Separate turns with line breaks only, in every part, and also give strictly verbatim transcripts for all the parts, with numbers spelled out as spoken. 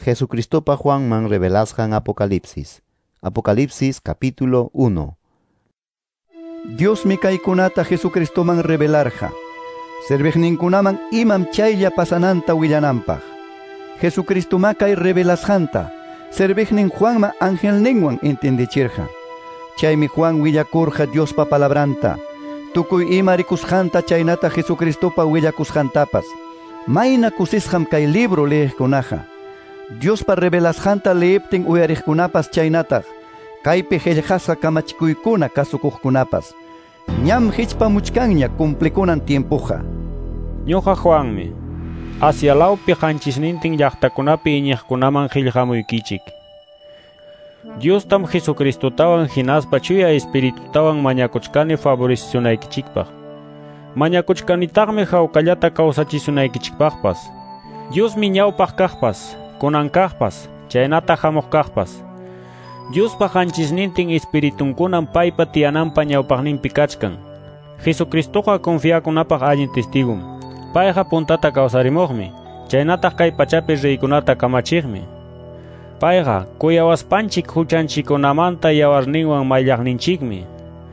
Jesucristopa Juanman revelasqan Apocalipsis. Apocalipsis capítulo uno.
Diosmi kaykunata Jesucristoman revelarqa. Serviqninkunaman imam chaylla pasananta willananpaq. Jesucristoma kay revelasqanta serviqnin Juanma angelninwan entendichirqa. Chaymi Juan willakurqa Diospa palabranta, tukuy ima rikusqanta chaynata Jesucristopa willakusqantapas. Mayna kusisqam kay libro leeqkunaqa. Diospa revelasqanta leeptin uyariqkunapas chaynataq, kaypi qillqasqa kamachikuykuna kasukuqkunapas. Ñam hichpamuchkanña cumplikunan tiempoqa.
Ñuqa Juanmi, Asia lawpi qanchisnintin llaqtakunapi iñiqkunaman qillqamuykichik. Diostam Jesucristotawan hinaspa Chuya Espiritutawan mañakuchkani favorecionaykichikpaq. Mañakuchkanitaqmi hawkallata kawsachisunaykichikpaqpas. Diosmi ñawpaq kaqpas, kunan kaqpas, chaynata hamuq kaqpas. Diospa qanchisnintin espiritunkunam paypa tiyananpa ñawpaqninpi kachkan. Jesucristoqa confiakunapaq allin testigum. Payqa puntata kawsarimuqmi, chaynataq kay pachapi reykunata kamachiqmi. Payqa kuyawaspanchik huchanchikkunamanta yawarninwan mayllaqninchikmi.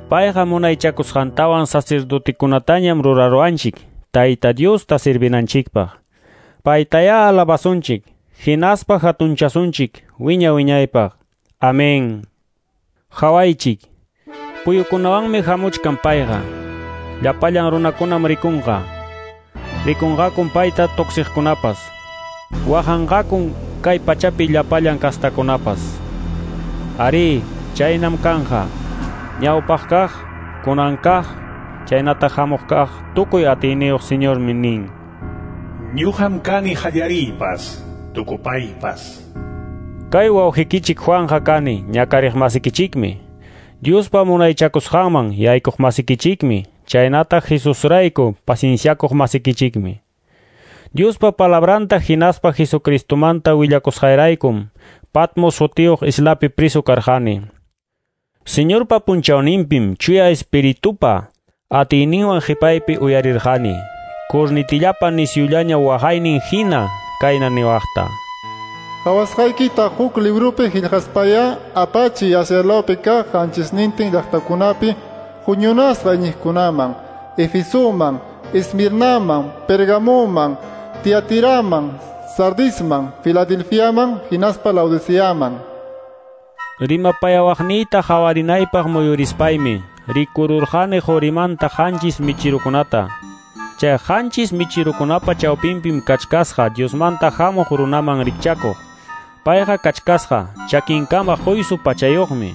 Payqa munaychakusqantawan sacerdotekunatañam ruraruwanchik, Tayta Diosta servinanchikpaq. Paytayá alabasunchik, hinaspa hatunchasunchik wiña wiñaypaq. Amén. Hawaychik, puyukunawanmi hamuchkan payqa. Llapallan runakunam rikunqa. Rikunqakun payta tuksiqkunapas. Waqanqakun kay pachapi llapallan kastakunapas. Ari, chaynam kanja. Ñawpaq kaq, kunan kaq, chaynata hamuq kaq, tukuy atiyniyuq Señormi nin.
Ñuqam kani qallariypas, tukupaypas.
Kay wawqikichik Juanja kani, ñakariq masikichikmi. Diospa munaychakusqanman yaykuq masikichikmi, chaynata Jesusrayku pacienciakuq masikichikmi. Diospa palabranta hinaspa Jesucristomanta willakusqayraykum, Patmos sutiyuq islapi priso karqani. Señorpa punchawninpim Chuya Espiritupa atiyninwan qhipaypi uyarirqani, cornitillapa nisyullaña waqaynin hina kayna niwaqta.
Qhawasqaykita huk librupi qillqaspaya apachiy Asia lawpi kaq qanchisnintin llaqtakunapi huñunasqa iñiqkunaman, Efesoman, Esmirnaman, Pergamoman, Tiatiraman, Sardisman, Filadelfiaman, hinaspa Laodiceaman.
Rimapayawaqniyta hawarinaypaq muyurispaymi, rikururqani qurimanta qanchis michirukunata. Chay qanchis michirukunapa chawpinpim kachkasqa Diosmanta hamuq runaman rikchakuq. Payqa kachkasqa chakinkama quysu pachayuqmi.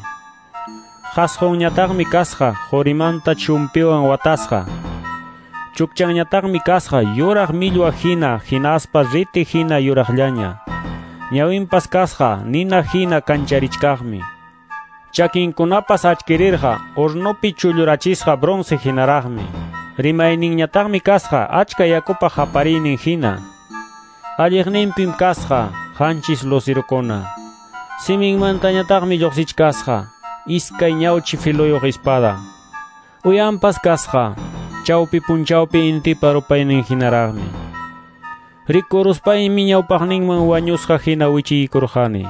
Qasqunñataqmi kasqa qurimanta chumpiwan watasqa. Chukchanñataqmi kasqa yuraq millwa hina hinaspa riti hina yuraqllaña. Ñawinpas kasqa nina hina kancharichkaqmi. Chakinkunapas achkirirqa hornopi chullurachisqa bronce hinaraqmi. Rimayninñataqmi kasqa achka yakupa hapariynin hina. Alliqninpim kasqa qanchis lucirukuna. Siminmantañataqmi lluqsichkasqa iskay ñawchi filoyuq espada. Uyanpas kasqa chawpi punchawpi intipa rupaynin hinaraqmi. Rikuruspaymi ñawpaqninman wañusqa hina wichiykurqani.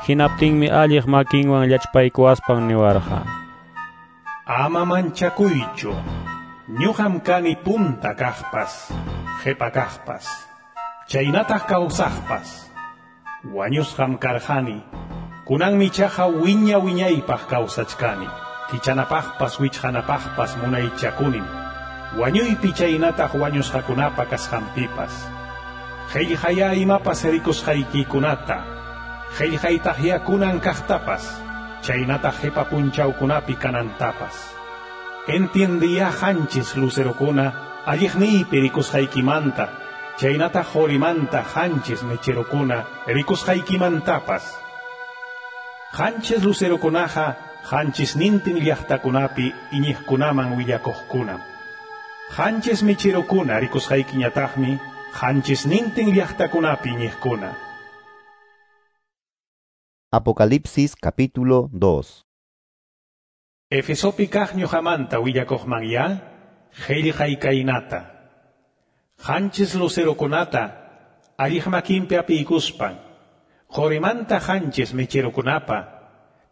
Hinaptinmi alliq makinwan llachpaykuwaspan niwarqa.
Ama manchakuychu. Ñuqam kani punta kaqpas, qhipa kaqpas, chaynataq kawsaqpas. Wañusqam karqani, kunanmi chaqa wiña wiñaypaq kawsachkani. Kichanapaqpas wichqanapaqpas munaychakunim. Wañuypi chaynataq wañusqakunapa kasqanpipas. Qillqaya imapas rikusqaykikunata, qillqaytaqya kunan kaqtapas, chaynataq qipa punchawkunapi kanantapas. Entiendiya qanchis lucerokuna alliqniypi rikusqaykimanta, chaynataq qurimanta qanchis mecherokuna rikusqaykimantapas. Qanchis lucerokunaqa qanchisnintin llaqtakunapi iñiqkunaman willakuqkunam. Qanchis mecherokuna rikusqaykiñataqmi qanchisnintin llaqtakunapi iñiqkuna.
Apocalipsis capítulo dos.
Efesopi kaq ñuqamanta willakuqman ya, qillqay kaynata. Qanchis lucerokunata alliq makinpi apiykuspan, Qorimanta qanchis mecherokunapa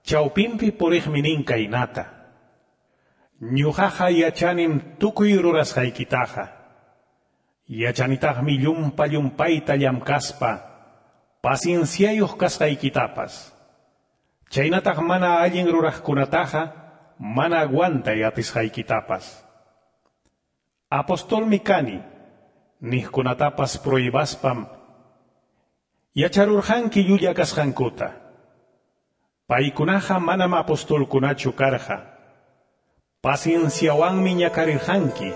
chawpinpi puriqmi nin kaynata. Ñuqaqa yachanim tukuy rurasqaykitaqa. Yachanitaqmi llumpa llumpayta llamkaspa pacienciayuq kasqaykitapas. Chaynataq mana allin ruraqkunataqa mana aguantay atisqaykitapas. Apostolmi kani, niqkunatapas prohibaspam yacharurqanki llulla kasqankuta. Paykunaqa manam apostolkunachu karqa. Pacienciawanmi ñakarirqanki.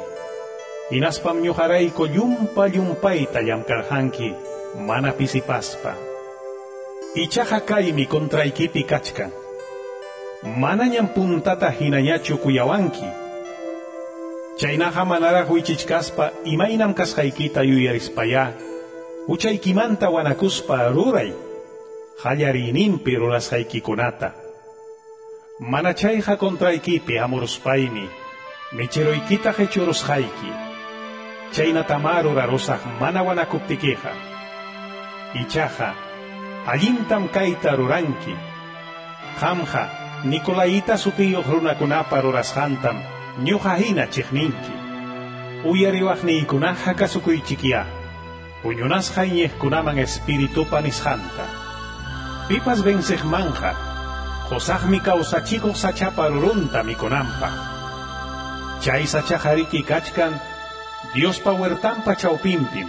Hinaspam ñuqarayku llumpa llumpayta llamkarqanki mana pisipaspa. Ichaqa kaymi contraykipi kachkan. Manañam puntata hinañachu kuyawanki. Chaynaqa manaraq wichichkaspa imaynam kasqaykita yuyarispayá, huchaykimanta wanakuspa ruray, qallariyninpi rurasqaykikunata. Mana chayqa contraykipi hamuruspaymi, mecheroykita qechurusqayki. Chaynatamá rurarusaq mana wanakuptikiqa. Ichaqa, allintam kayta ruranki. Qamqa, Nicolaita sutiyuq runakunapa rurasqantam ñuqa hina chiqninki. Uyariwaqniykunaqa kasukuychikyá. Huñunasqa iñiqkunaman espiritupa nisqanta. Pipas venceqmanqa, qusaqmi kawsachikuq sachapa rurunta mikunanpaq. Chay sachaqa riki kachkan Diospa huertanpa chawpinpim.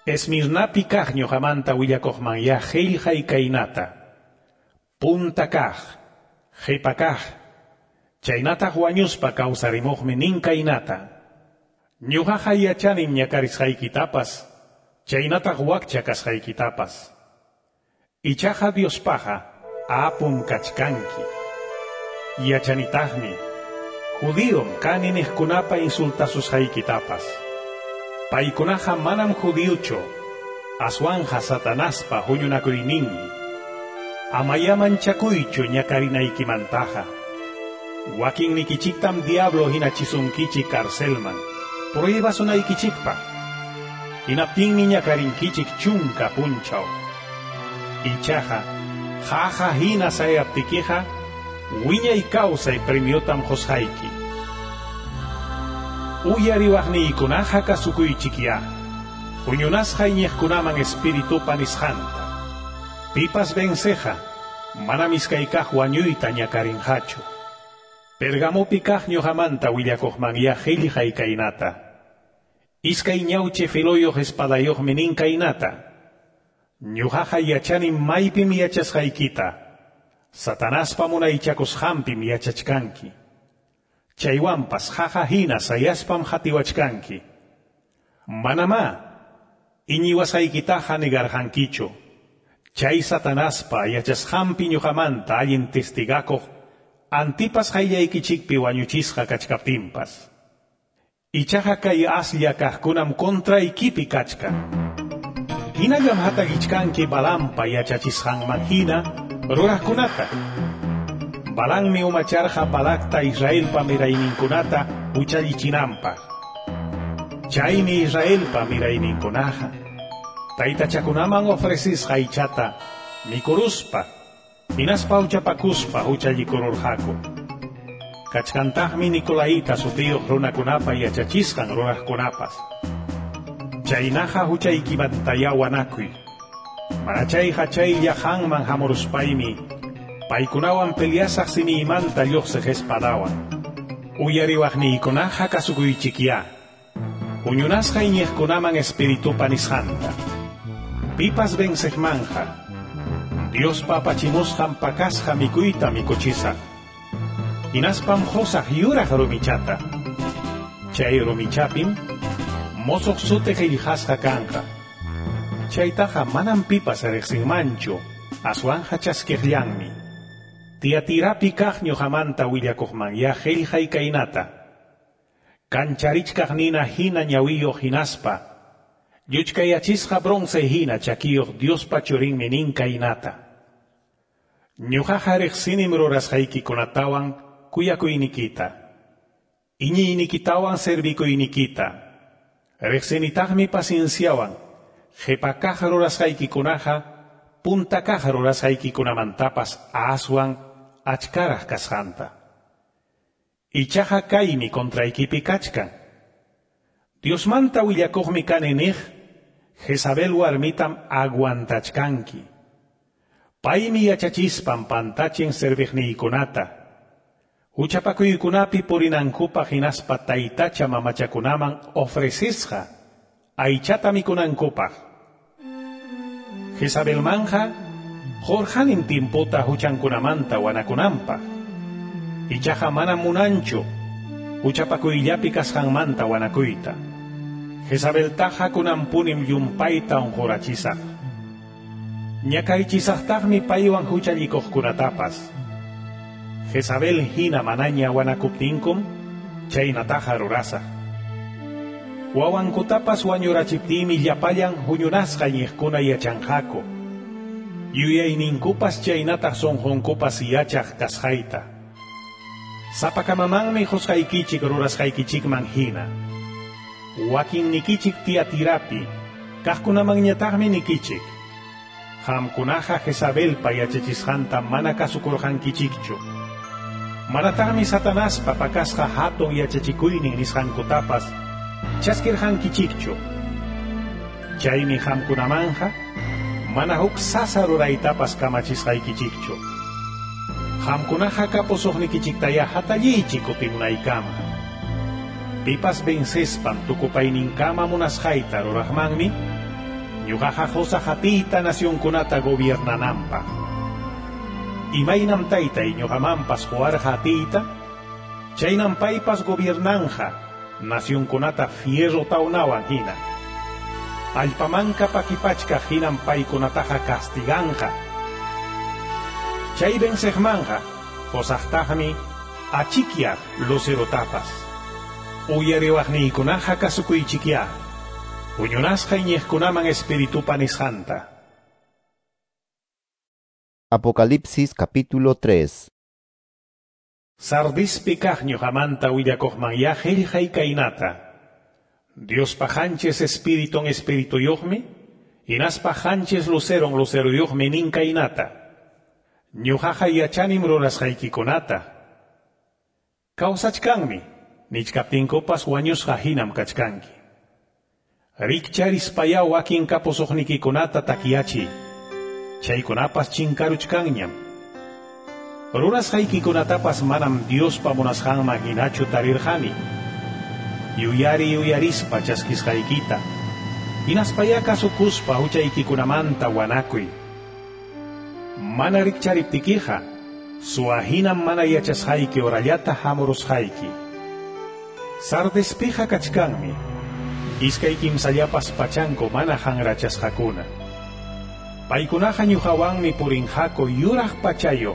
Esmirnapi kaq ñuqamanta willakuqmanyá qillqay kaynata. Punta kaq, qipa kaq, chaynataq wañuspa kawsarimuqmi nin kaynata. Ñuqaqa yachanim ñakarisqaykitapas, chaynataq wakcha kasqaykitapas. Ichaqa Diospaqa apum kachkanki. Yachanitaqmi, judíom kani niqkunapa insultasusqaykitapas. Paykunaqa manam judíochu, aswanja Satanaspa huñunakuyninmi. Amaya manchakuychu ñakarinaykimantaqa. Wakinnikichiktam diablo hinachisunkichik carcelman, pruebasunaykichikpaq. Hinaptinmi ñakarinkichik chunka punchaw. Ichaqa, qaqa hina sayaptikiqa, wiñay kawsay premiotam qusqayki. Uyariwaqniykunaqa kasukuychikyá, huñunasqa iñiqkunaman espiritupa nisqanta. Pipas venceqa, manam iskaykaq wañuyta ñakarinqachu. Pergamopi kaq ñuqamanta willakuqmanyá qillqay kaynata. Iskay ñawchi filoyuq espadayuqmi nin kaynata. Ñuqaqa yachanim maypim yachasqaykita. Satanaspa munaychakusqanpim yachachkanki. Chaywanpas qaqa hina sayaspam qatiwachkanki. Manamá iñiwasqaykitaqa negarqankichu. Chay Satanaspa yachasqanpi ñuqamanta allin testigakuq Antipas qayllaykichikpi wañuchisqa kachkaptinpas. Ichaqa kay aslla kaqkunam contraykipi kachkan. Hinallam hatakichkanki Balampa yachachisqanman hina ruraqkunata. Balammi umacharqa Balakta Israelpa mirayninkunata huchallichinanpaq. Chaymi Israelpa mirayninkunaqa taytachakunaman ofrecisqa aychata mikuruspa hinaspa huchapakuspa huchallikururqaku. Kachkantaqmi Nicolaita sutiyuq runakunapa yachachisqan ruraqkunapas. Chaynaqa huchaykimantayá wanakuy. Mana chayqa chaylla qanman hamuruspaymi paykunawan peleasaq simiymanta lluqsiq espadawan. Uyariwaqniykunaqa kasukuychikyá. Huñunasqa iñiqkunaman espiritupa nisqanta. Pipas venceqmanja, Diospa apachimusqan pakasqa mikuyta mikuchisaq. Hinaspam qusaq yuraq rumichata. Chay rumichapim mosoq suti qillqasqa kanqa. Chaytaqa manam pipas riqsinmanchu, aswanja chaskiqllanmi. Tiatirapi kaq ñuqamanta willakuqmanyá qillqay kaynata. Kancharichkaq nina hina ñawiyuq hinaspa, lluchkayachisqa bronce hina chakiyuq Diospa churinmi nin kaynata. Ñuqaqa riqsinim rurasqaykikunatawan kuyakuynikita, iñiynikitawan servikuynikita. Riqsinitaqmi pacienciawan, qhipa kaq rurasqaykikunaqa punta kaq rurasqaykikunamantapas aswan achkaraq kasqanta. Ichaqa kaymi contraykipi kachkan. Diosmanta willakuqmi kani niq, Jezabel warmitam aguantachkanki. Paymi yachachispan pantachin serviqniykunata. Huchapakuykunapi purinankupaq hinaspa taytacha mamachakunaman ofrecisqa aychata mikunankupaq. Jezabelmanja qurqanim tiempota huchankunamanta wanakunanpaq. Ichaqa manam munanchu huchapakuyllapi kasqanmanta wanakuyta. Jezabeltaqa kunanpunim llumpayta unqurachisaq. Ñakaychisaqtaqmi paywan huchallikuqkunatapas. Jezabel hina manaña wanakuptinkum chaynataqa rurasaq. Wawankutapas wañurachiptiymi llapallan huñunasqa iñiqkuna yachanqaku. Yuyayninkupas chaynataq sunqunkupas yachaq kasqayta. Sapakamamanmi qusqaykichik rurasqaykichikman hina. Wakinnikichik Tiatirapi, kaqkunamanñataqmi nikichik. Qamkunaqa Jezabelpa yachachisqanta mana kasukurqankichikchu. Manataqmi Satanaspa pakasqa hatun yachachikuynin nisqankutapas chaskirqankichikchu. Chaymi qamkunamanja mana huk sasa ruraytapas kamachisqaykichikchu. Qamkunaqa kapusuqnikichiktaya hatalliychik kutimunaykama. Pipas vencespan tukupayninkama munasqayta ruraqmanmi, ñuqaqa qusaq atiyta nacionkunata gobiernananpaq. Imaynam taytay ñuqamanpas quwarqa atiyta, chaynam paypas gobiernanja nacionkunata fierro tawnawan hina. Allpamanka pakipachkaq hinam paykunataqa castiganja. Chay venceqmanja qusaqtaqmi achikyaq lucerotapas. Uyariwaqniykunaqa kasukuychikya. Huñunasqa iñiqkunaman espiritupa nisqanta.
Apocalipsis capítulo tres.
Sardispi kaq ñuqamanta willakuqmanyá qillqay kaynata. Diospa qanchis espiritun espirituyuqmi, hinaspa qanchis luceron luceruyuqmi nin kaynata. Ñuqaqa yachanim rurasqaykikunata. Kawsachkanmi, nichkaptinkupas wañusqa hinam kachkanki. Rikcharispaya wakin kapusuqnikikunata takyachiy. Chaykunapas chinkaruchkanñam. Rurasqaykikunatapas manam Diospa munasqanman hinachu tarirqani. Yuyari yuyarispa chaskisqaykita. Hinaspaya kasukuspa huchaykikunamanta wanakuy. Mana rikchariptikiqa, suwa hinam mana yachasqayki horallata hamurusqayki. Sardespiqa kachkanmi, iskay kimsallapas pachanku mana hanrachasqakuna. Paykunaqa ñuqawanmi purinqaku yuraq pachayo,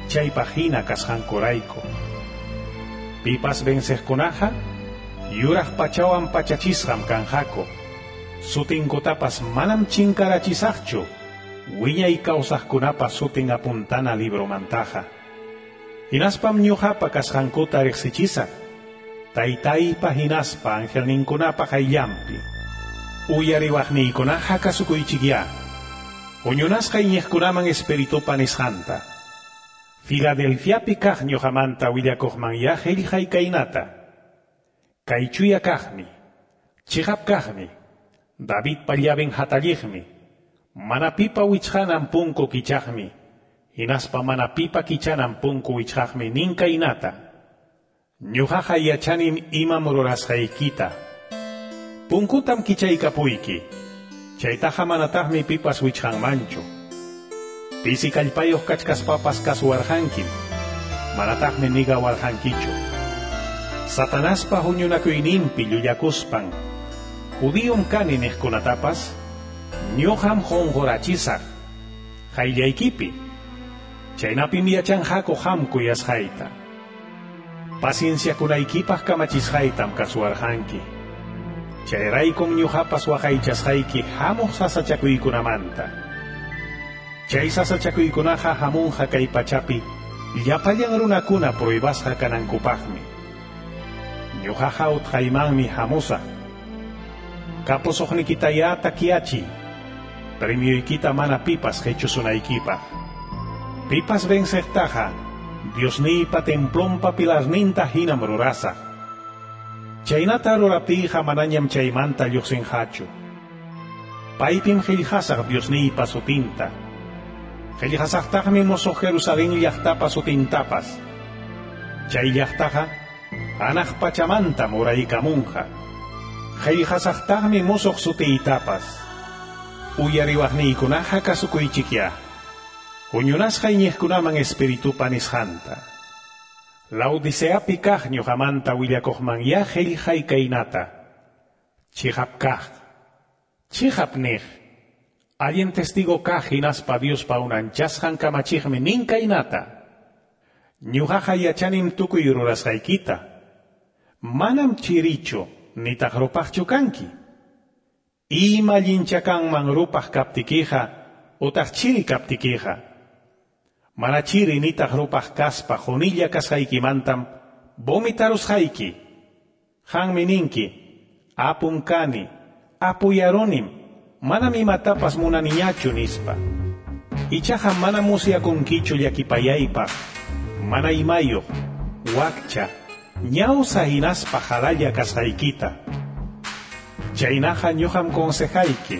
chaypaq hina kasqankurayku. Pipas venceqkunaqa, yuraq pachawan pachachisqam kanqaku. Sutinkutapas manam chinkarachisaqchu, wiñay kawsaqkunapa sutin apuntana libromantaqa. Hinaspam ñuqapa kasqankuta riqsichisaq, taytaypa hinaspa angelninkunapa qayllanpi. Uyariwaqniykunaqa kasukuychikya. Huñunasqa iñiqkunaman espiritupa nisqanta. Filadelfiapi kaq ñuqamanta willakuqmanyá qillqay kaynata. Kay chuya kaqmi, chiqap kaqmi, Davidpa llaven hatalliqmi, mana pipa wichqanan punku kichaqmi, hinaspa mana pipa kichanan punku wichqaqmi nin kaynata. Ñuqaqa yachanim imam rurasqaykita. Punkutam kichaykapuyki. Chaytaqa manataqmi pipas wichqanmanchu. Pisi kallpayuq kachkaspapas kasuwarqankim, manataqmi nigawarqankichu. Satanaspa huñunakuyninpi llullakuspan, judiyum kani niqkunatapas, ñuqam qunqurachisaq, qayllaykipi. Chaynapim yachanqaku qam kuyasqayta. Pacienciakunaykipaq kamachisqaytam kasuwarqanki. Chayraykum ñuqapas waqaychasqayki hamuq sasachakuykunamanta. Chay sasachakuykunaqa hamunqa kay pachapi llapallan runakuna pruebasqa kanankupaqmi. Ñuqaqa utqaymanmi hamusaq. Kapusuqnikitaya takyachiy. Premioykita mana pipas qechusunaykipaq. Pipas venceqtaqa, Diosniypa templonpa pilarninta hinam rurasaq. Chaynata ruraptiyqa manañam chaymanta lluqsinqachu. Paypim qillqasaq Diosniypa sutinta. Qillqasaqtaqmi musuq Jerusalén llaqtapa sutintapas. Chay llaqtaqa hanaq pachamantam uraykamunqa. Qillqasaqtaqmi musuq sutiytapas. Uyariwaqniykunaqa kasukuychikya. Huñunasqa iñiqkunaman espiritupa nisqanta. Laodiceapi kaq ñuqamanta willakuqmanyá qillqay kaynata. Chiqap kaq, chiqap niq, allin testigo kaq hinaspa Diospa unanchasqan kamachiqmi nin kaynata. Ñuqaqa yachanim tukuy rurasqaykita. Manam chirichu nitaq rupaqchu kanki. Ima allincha kanman rupaq kaptikiqa utaq chiri kaptikiqa. Mana chiri nitaq rupaq kaspa qunilla kasqaykimantam vomitarusqayki. Qanmi ninki, apum kani, apuyarunim, manam imatapas munaniñachu nispa. Ichaqa mana musyakunkichu llakipayaypaq, mana imayuq, wakcha, ñawsa hinaspa qalalla kasqaykita. Chaynaqa ñuqam consejayki.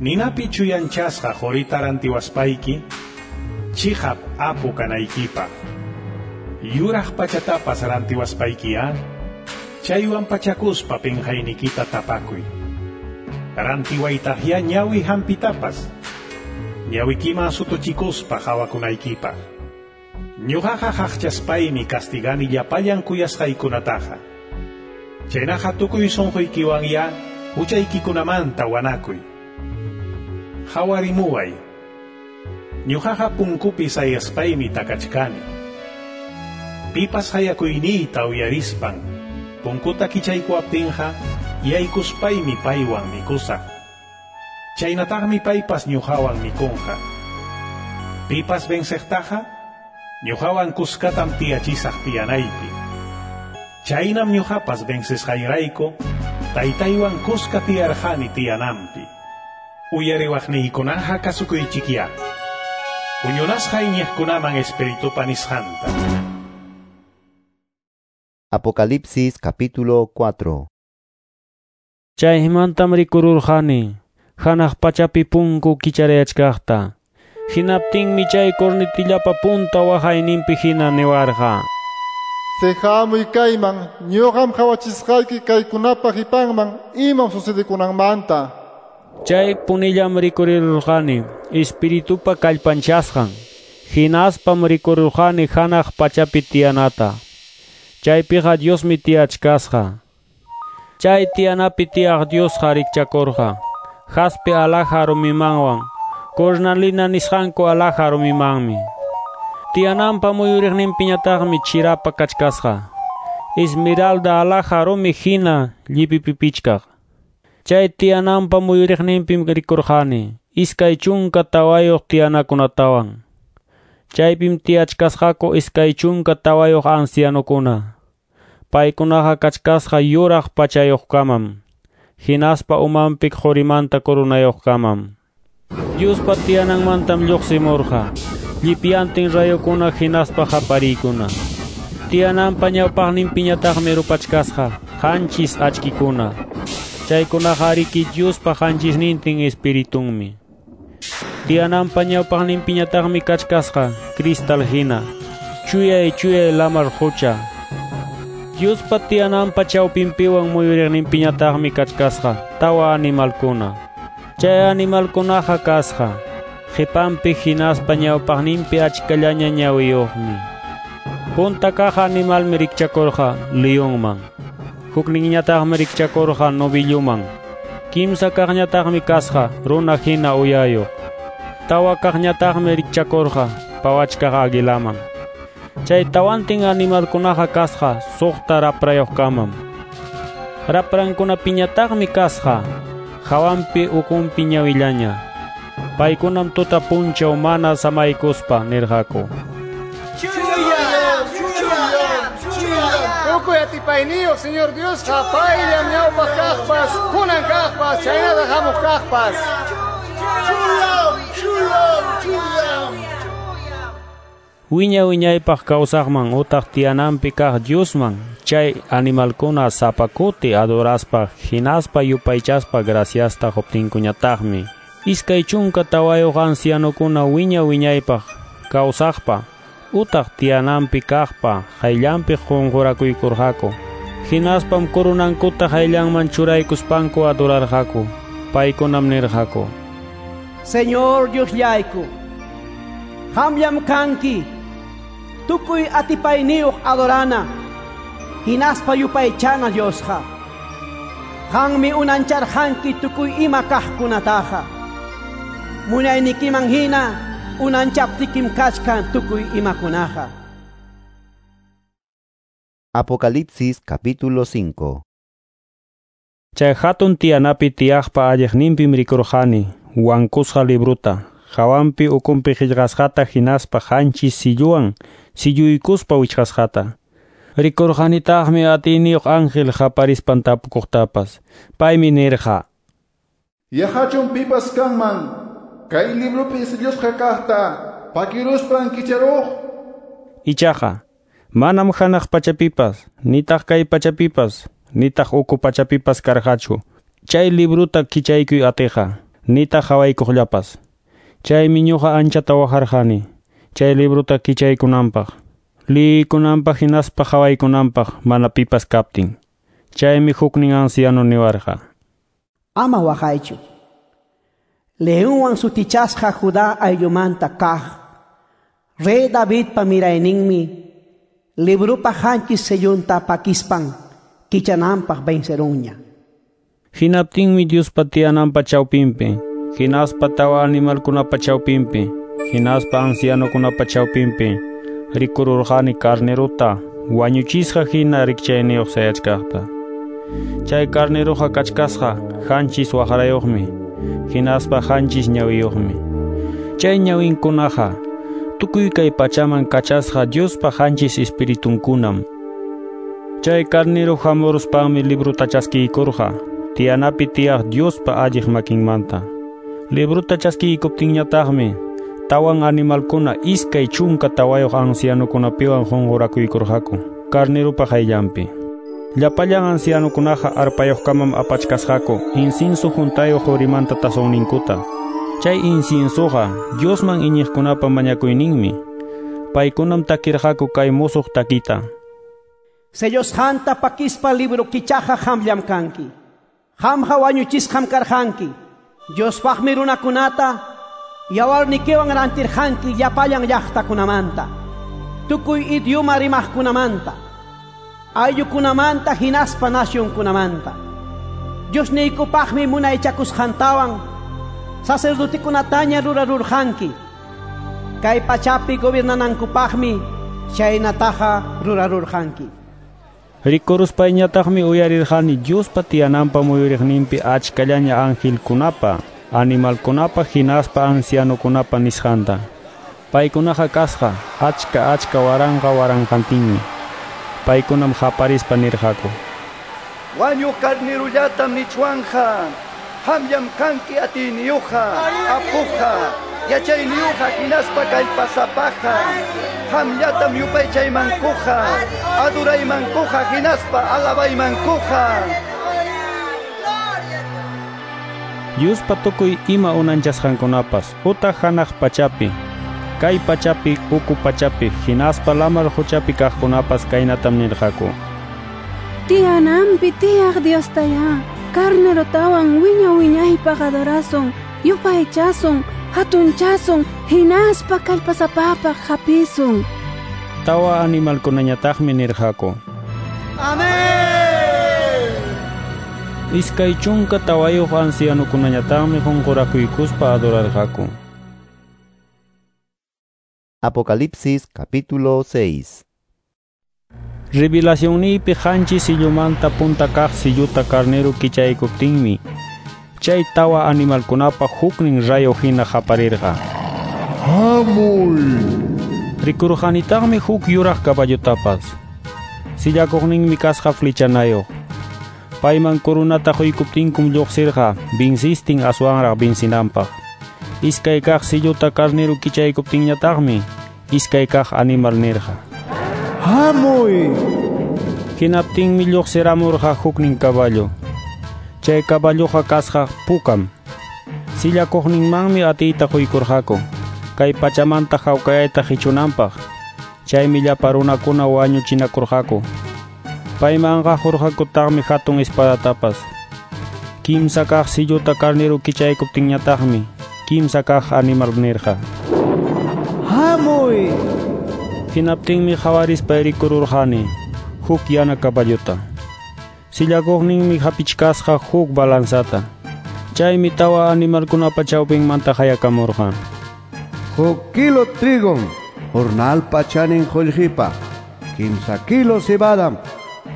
Ninapi chuyanchasqa qurita rantiwaspayki, chiqap apu kanaykipaq. Yuraq pachatapas rantiwaspaykiya, chaywan pachakuspa pinqaynikita tapakuy. Rantiwaytaqya ñawi hampitapas, ñawikiman sutuchikuspa hawakunaykipaq. Ñuqaqa qaqchaspaymi castigani llapallan kuyasqaykunataqa. Chaynaqa tukuy sunquykiwanya huchaykikunamanta wanakuy. Hawarimuway. Ñuqaqa punkupi sayaspaymi takachkani. Pipas hayakuyniyta uyarispan, punkuta kichaykuwaptinqa yaykuspaymi paywan mikusaq. Chaynataqmi paypas ñuqawan mikunqa. Pipas venceqtaqa, ñuqawan kuskatam tiyachisaq tiyanaypi. Chaynam ñuqapas vencesqayrayku, taytaywan kuska tiyarqani tiyananpi. Uyariwaqniykunaqa kasukuychikya. Huñunasqa iñiqkunaman espiritupa nisqanta.
Apocalipsis capítulo cuatro.
Chaymantam rikururqani, hanaq pachapi punku kicharayachkaqta. Hinaptinmi chay cornetillapa punta waqayninpi hina niwarqa.
Sehamuy kayman, ñuqam qhawachisqayki kaykunapa qipanman imam sucedekunanmanta.
Chay punillam rikurirurqani, espiritupa kallpanchasqan. Hinaspam rikururqani hanaq pachapi tiyanata. Chaypiqa Diosmi tiyachkasqa. Chay tiyanapi tiyaq Diosqa rikchakurqa. Jaspe alhaja rumimanwan, cornalina nisqanku alhaja rumimanmi. Tiyananpa muyuriqninpiñataqmi chirapa kachkasqa. Esmeralda alhaja rumi hina llipipipichkaq. Chay tiyananpa muyuriqninpim rikurqani iskay chunka tawayuq tiyanakunatawan. Chaypim tiyachkasqaku iskay chunka tawayuq ancianokuna. Paykunaqa kachkasqa yuraq pachayuqkamam, hinaspa umanpi qurimanta coronayuqkamam. Diospa tiyananmantam lluqsimurqa llipyantin rayukuna hinaspa qapariykuna. Tiyananpa ñawpaqninpiñataqmi rupachkasqa qanchis achkikuna. Chaykunaqa ariki Diospa qanchisnintin espiritunmi. Tiyananpa ñawpaqninpiñataqmi kachkasqa cristal hina, chuyay chuyay lamar qucha. Diospa tiyananpa chawpinpiwan muyuriqninpiñataqmi kachkasqa tawa animalkuna. Chay animalkunaqa kasqa qipanpi hinaspa ñawpaqninpi achkallaña ñawiyuqmi. Punta kaq animalmi rikchakurqa leonman. Hukninñataqmi rikchakurqa novilluman. Kimsa kaqñataqmi kasqa runa hina uyayuq. Tawa kaqñataqmi rikchakurqa pawachkaq aguilaman. Chay tawantin animalkunaqa kasqa suqta raprayuqkamam. Raprankunapiñataqmi kasqa hawanpi ukunpi ñawillaña. Paykunam tuta punchaw mana samaykuspa nirqaku.
Chuyam, chuyam, chuyam. Tukuy atipayniyuq Señor Diosqa payllam ñawpaq kaqpas, kunan kaqpas, chaynata hamuq kaqpas.
Chuyam, chuyam, chuyam.
Wiña wiñaypaq kawsaqman utaq tiyananpi kaq Diosman chay animalkuna sapa kuti adoraspa hinaspa yupaychaspa graciasta quptinkuñataqmi iskay chunka tawayuq ancianokuna wiña wiñaypaq kawsaqpa utaq tiyananpi kaqpa qayllanpi qunqurakuykurqaku. Hinaspam kurunankuta qayllanman churaykuspanku adorarqaku. Paykunam nirqaku:
Señor Diosllayku, qamllam kanki tukuy atipayniyuq adorana hinaspa yupaychana Diosqa. Qanmi unancharqanki tukuy ima kaqkunataqa. Munaynikiman hina unanchaptikim kachkan tukuy imakunaqa.
Apocalipsis capítulo cinco.
Chay hatun tiyanapi tiyaqpa alliqninpim rikurqani wankusqa libruta, hawanpi ukunpi qillqasqata hinaspa qanchis silluwan silluykuspa wichqasqata. Rikurqanitaqmi atiyniyuq ángel qaparispan tapukuqtapas. Paymi nirqa:
Yaqachun pipas kanman kay librupi sillusqa kaqta pakiruspan kicharuq.
Ichaqa manam hanaq pachapipas, nitaq kay pachapipas, nitaq uku pachapipas karqachu chay libruta kichaykuy atiqa, nitaq hawaykuqllapas. Chaymi ñuqa anchata waqarqani chay libruta kichaykunanpaq, liykunanpaq hinaspa hawaykunanpaq mana pipas kaptin. Chaymi huknin anciano niwarqa:
Ama waqaychu. Leonwan sutichasqa Judá ayllumanta kaq Rey Davidpa mirayninmi librupa qanchis sellunta pakispan kichananpaq vencerunña.
Hinaptinmi Diospa tiyananpa chawpinpi, hinaspa tawa animalkunapa chawpinpi, hinaspa ancianokunapa chawpinpi rikururqani carneruta wañuchisqa hina rikchayniyuq sayachkaqta. Chay carneruqa kachkasqa qanchis waqrayuqmi, hinaspa qanchis ñawiyuqmi. Chay ñawinkunaqa tukuy kay pachaman kachasqa Diospa qanchis espiritunkunam. Chay carnero hamuruspanmi libruta chaskiykurqa tiyanapi tiyaq Diospa alliq makinmanta. Libruta chaskiykuptinñataqmi tawan animalkuna iskay chunka tawayuq ancianokunapiwan qunqurakuykurqaku carnerupa qayllanpi. Llapallan ancianokunaqa arpayuqkamam apachkasqaku incienso huntayuq qurimanta tazonninkuta. Chay inciensoqa Diosman iñiqkunapa mañakuyninmi. Paykunam takirqaku kay musuq takita:
Sellosqanta pakispa libro kichaqa qamllam kanki. Qamqa wañuchisqam karqanki. Diospaqmi runakunata yawarnikiwan rantirqanki llapallan llaqtakunamanta, tukuy idioma rimaqkunamanta, ayllukunamanta hinaspa nacionkunamanta. Diosniykupaqmi munaychakusqantawan sacerdotekunataña rurarurqanki. Kay pachapi gobiernanankupaqmi chaynataqa rurarurqanki.
Rikuruspayñataqmi uyarirqani Diospa tiyananpa muyuriqninpi achkallaña angelkunapa, animalkunapa hinaspa ancianokunapa nisqanta. Paykunaqa kasqa achka achka waranqa waranqantinmi. Paykunam qaparispa nirqaku:
Wañuq carnerullatam nichwanja, qamllam kanki atiyniyuqqa, apuqqa, yachayniyuqqa hinaspa kallpasapaqa. Qamllatam yupaychaymankuqa, adoraymankuqa hinaspa alabaymankuqa.
Diospa tukuy ima unanchasqankunapas utaq hanaq pachapi, kay pachapi, uku pachapi, hinaspa lamar quchapi kaqkunapas kaynatam nirqaku:
Tiyananpi tiyaq Diostayá carnerotawan wiña wiñaypaq adorasun, yupaychasun, hatunchasun, hinaspa kallpasapapaq hapisun.
Tawa animalkunañataqmi nirqaku:
Amén.
Iskay chunka tawayuq ancianokunañataqmi qunqurakuykuspa adorarqaku.
Apocalipsis capítulo seis.
Revelacionniypi qanchis sillumanta punta kaq silluta carnero kichaykuptinmi chay tawa animalkunapa huknin rayo hina qaparirqa:
¡Hamuy!
Rikurqanitaqmi huk yuraq caballutapas. Sillakuqninmi kasqa flechanayuq. Payman corunata quykuptinkum lluqsirqa vinsistin aswanraq vinsinanpaq. Iskay kaq silluta carnero kichaykuptinñataqmi iskay kaq animal nirqa:
Hamuy!
Hinaptinmi lluqsiramurqa huknin caballo. Chay caballoqa kasqa pukam. Sillakuqninmanmi atiyta quykurqaku kay pachamanta hawkayayta qichunanpaq. Chaymi llapa runakuna wañuchinakurqaku. Paymanqa qurqakutaqmi hatun espadatapas. Kimsa kaq silluta carnero kichaykuptinñataqmi kimsa kaq animal nirqa:
Hamuy!
Hinaptinmi qawarispa rikururqani huk yana caballota. Sillakuqninmi hapichkasqa huk balanzata. Chaymi tawa animalkunapa chawpinmanta hayakamurqa:
Huk kilo trigom jornalpa chanin qullqipa, kimsa kilo cebadam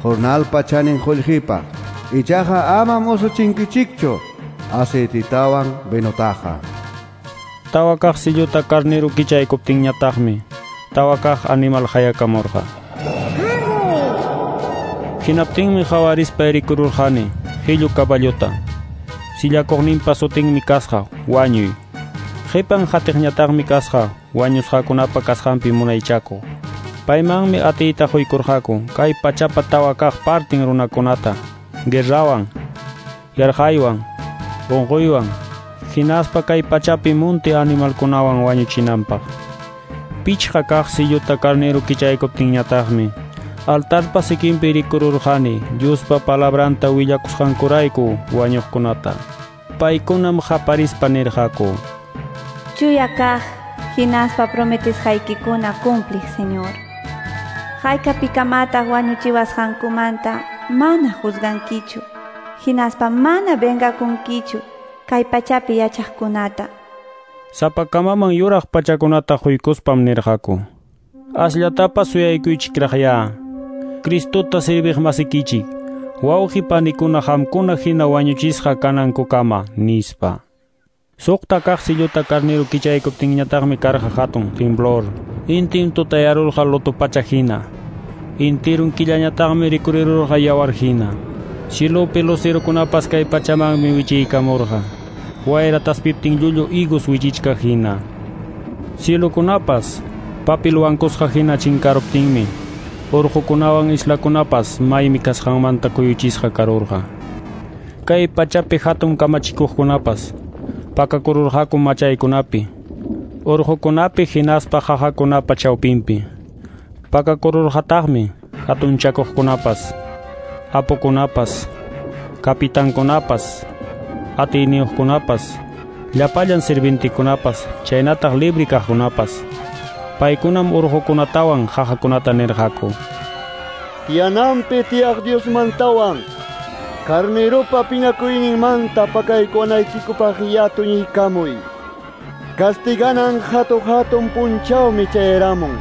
jornalpa chanin qullqipa. Ichaqa amam usuchinkichikchu aceititawan vinotaqa.
Tawa kaq silluta carnero kichaykuptinñataqmi tawa kaq animal hayakamurqa. Hinaptinmi qawarispa rikururqani hillu caballota. Sillakuqninpa sutinmi kasqa wañuy. Qipan hatiqñataqmi kasqa wañusqakunapa kasqanpi munaychakuq. Paymanmi atiyta quykurqaku kay pachapa tawa kaq partin runakunata guerrawan, yarqaywan, unquywan, hinaspa kay pachapi munti animalkunawan wañuchinanpaq. Pichqa kaq silluta carnero kichaykuptinñataqmi altarpa sikinpi rikururqani Diospa palabranta willakusqankurayku wañuqkunata. Paykunam qaparispa nirqaku:
Chuya kaq hinaspa prometesqaykikuna cumpliq, Señor. Haykapikamataq wañuchiwasqankumanta mana juzgankichu, hinaspa mana vengakunkichu kay pachapi yachaqkunata.
Sapakamaman yuraq pachakunata quykuspam nirqaku: Asllatapas suyaykuychikraqya. Cristota serviq masikichik, wawqi panikuna qamkuna hina wañuchisqa kanankukama, nispa. Suqta kaq silluta carnero kichaykuptinñataqmi karqa hatun temblor. Intim tutayarurqa luto pacha hina. Intirun killañataqmi rikurirurqa yawar hina. Cilupi lucerokunapas kay pachamanmi wichiykamurqa. Wayra taspiptin llullu higos wichichkaq hina. Cielokunapas papil wankusqa hina chinkaruptinmi urqukunawan islakunapas maymi kasqanmanta kuyuchisqa karurqa. Kay pachapi hatun kamachikuqkunapas pakakururqaku machaykunapi, urqukunapi hinaspa qaqakunapa chawpinpi. Pakakururqataqmi hatunchakuqkunapas, apukunapas, kapitankunapas, atiyniyuqkunapas, llapallan sirvintikunapas, chaynataq libre kaqkunapas. Paykunam urqukunatawan qaqakunata nirqaku:
Tiyananpi tiyaq Diosmantawan carneropa piñakuyninmanta pakaykunaykikupaq yatuñiykamuy. Castiganan hatu-hatun punchawmi chayaramun.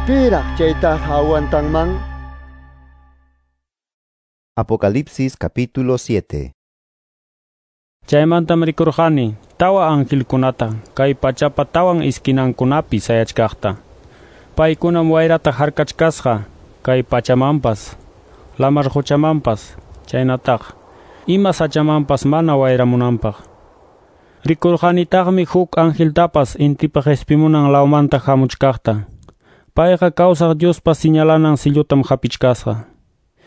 Piraq chaytaqa aguantanman?
Apocalipsis capítulo siete.
Chaymantam rikurqani tawa angelkunata kay pachapa tawan iskinankunapi sayachkaqta. Paykunam wayrata harkachkasqa kay pachamanpas, lamar quchamanpas, chaynataq ima sachamanpas mana wayramunanpaq. Rikurqanitaqmi huk angeltapas intipa qespimunan lawmanta hamuchkaqta. Payqa kawsaq Diospa señalanan sillutam hapichkasqa.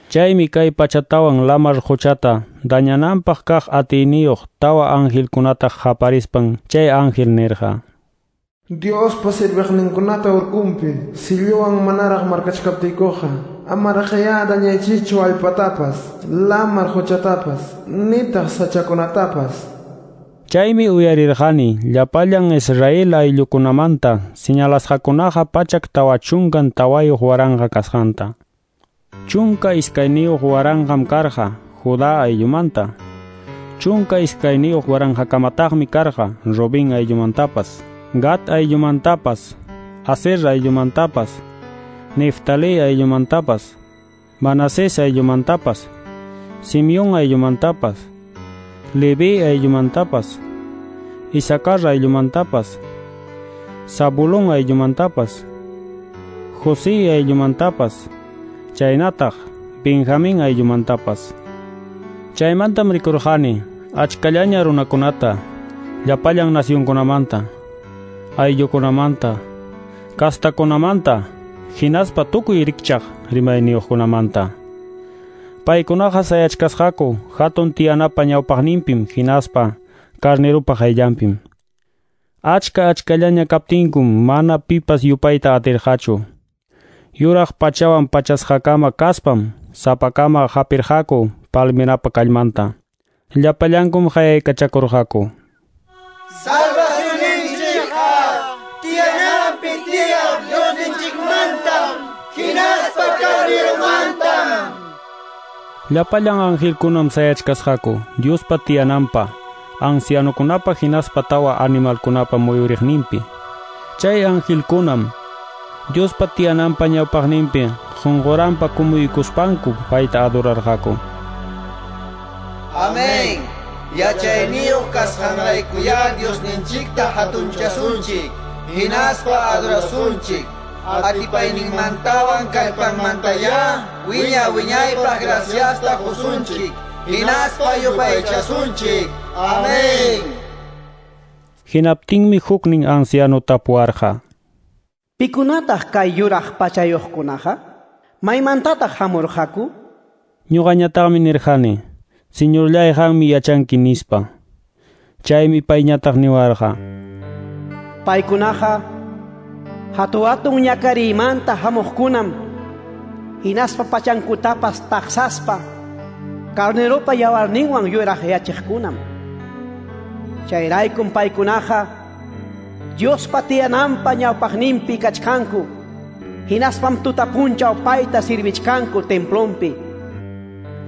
Chaymi kay pachatawan lamar quchata dañananpaq kaq atiyniyuq tawa angelkunata qaparispan chay ángel nirqa:
Diospa serviqninkunata urkunpi silluwan manaraq markachkaptiykuqa amaraqyá dañaychikchu allpatapas, lamar quchatapas, nitaq sachakunatapas.
Chaymi uyarirqani llapallan Israel ayllukunamanta señalasqakunaqa pachak tawa chunkan tawayuq waranqa kasqanta. Chunka iskayniyuq waranqam karqa Judá ayllumanta. Chunka iskayniyuq waranqakamataqmi karqa Rubén ayllumantapas, Gad ayllumantapas, Aser ayllumantapas, Neftalí ayllumantapas, Manasés ayllumantapas, Simeón ayllumantapas, Leví ayllumantapas, Isacar ayllumantapas, Zabulón ayllumantapas, José ayllumantapas, chaynataq Benjamín ayllumantapas. Chaymantam rikurqani achkallaña runakunata, Llapallan nacionkunamanta, ayllukunamanta, kastakunamanta, hinaspa tukuy rikchaq rimayniyuqkunamanta. Paykunaqa sayachkasqaku hatun tiyanapa ñawpaqninpim hinaspa Carneropa qayllanpim. Achka achkallaña kaptinkum mana pipas yupayta atirqachu. Yuraq pachawan pachasqakama kaspam sapakama hapirqaku palmerapa kallmanta. Llapallankum qayaykachakurqaku.
Salvacionninchikqa tiyananpi tiyaq Diosninchikmantam hinaspa Carneromantam.
Llapallan angelkunam sayachkasqaku Diospa tiyananpa, ancianokunapa hinaspa tawa animalkunapa muyuriqninpi. Chay angelkunam Diospa tiyananpa ñawpaqninpi qunquranpa kumuykuspanku payta adorarqaku.
Amén. Yachayniyuq kasqanraykuyá Diosninchikta hatunchasunchik, hinaspa adorasunchik. Atipayninmantawan kallpanmantayá wiña wiñaypaq graciasta qusunchik, hinaspa yupaychasunchik. Amén.
Hinaptinmi huknin anciano tapuwarqa.
Pikunataq kay yuraq pachayuqkunaqa? Maymantataq hamurqaku?
Ñuqañataqmi nirqani, Señorllay, qammi yachanki nispa. Chaymi payñataq niwarqa.
Paykunaqa hatu-hatun ñakariymanta hamuqkunam, hinaspa pachankutapas taqsaspa Carneropa yawarninwan yuraq yachiqkunam. Chayraykum paykunaqa Diospa tiyananpa ñawpaqninpi kachkanku, hinaspam tuta punchaw payta sirvichkanku templonpi.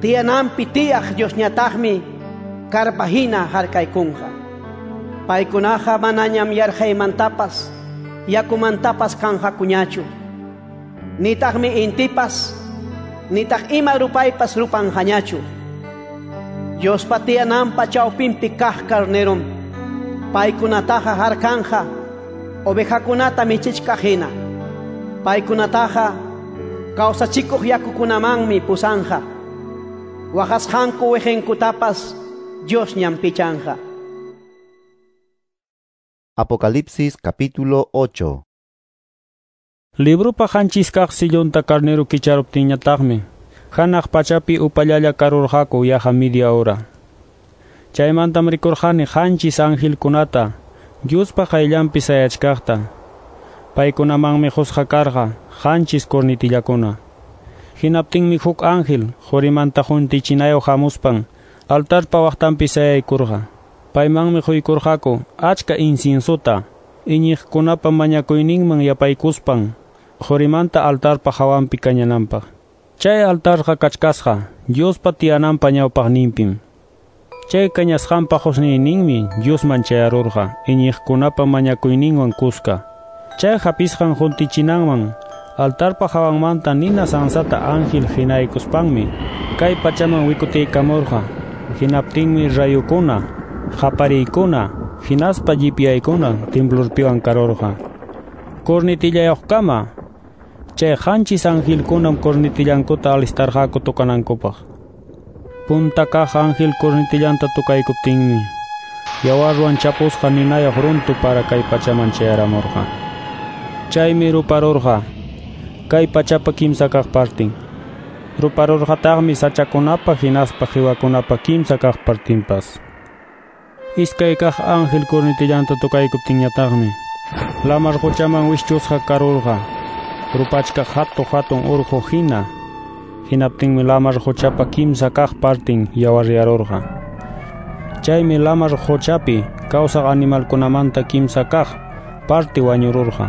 Tiyananpi tiyaq Diosñataqmi karpa hina harkaykunqa. Paykunaqa manañam yarqaymantapas yakumantapas kanqakuñachu. Nitaqmi intipas, nitaq ima rupaypas rupanqañachu. Diospa tiyananpa chawpinpi kaq Carnerom paykunataqa harkanja ovejakunata michichkaq hina. Paykunataqa kawsachikuq yakukunamanmi pusanja. Waqasqanku wiqinkutapas Diosñam pichanja.
Apocalipsis capítulo ocho.
Librupa qanchis kaq sillunta Carnero kicharuptinñataqmi hanaq pachapi upallalla karurqaku yaqa media hora. Chaymantam rikurqani qanchis angelkunata Diospa qayllanpi sayachkaqta. Paykunamanmi qusqa karqa qanchis cornetillakuna. Hinaptinmi huk ángel qurimanta juntichinayoq hamuspan altarpa waqtanpi sayaykurqa. Paymanmi quykurqaku achka inciensota iñiqkunapa mañakuyninman yapaykuspan qurimanta altarpa hawanpi kañananpaq. Chay altarqa kachkasqa Diospa tiyananpa ñawpaqninpim. Chay kañasqanpa qusniyninmi Diosman chayarurqa iñiqkunapa mañakuyninwan kuska. Chay hapisqan juntichinanman altarpa hawanmanta nina sansata ángel hinaykuspanmi kay pachaman wikutiykamurqa. Hinaptinmi rayukuna, qapariykuna, hinaspa llipyaykuna temblorpiwan karurqa. Cornetillayuqkama chay qanchis angelkunam cornetillankuta alistarqaku tocanankupaq. Punta kaq ángel cornetillanta tocaykuptinmi yawarwan chapusqa ninayuq runtu para kay pachaman chayaramurqa. Chaymi ruparurqa kay pachapa kimsa kaq partin. Ruparurqataqmi sachakunapa hinaspa qiwakunapa kimsa kaq partinpas. Iskay kaq ángel cornetillanta tocaykuptinñataqmi lamar quchaman wischusqa karurqa rupachkaq hatu hatun urqu hina. Hinaptinmi lamar quchapa kimsa kaq partin yawaryarurqa. Chaymi lamar quchapi kawsaq animalkunamanta kimsa kaq parti wañururqa.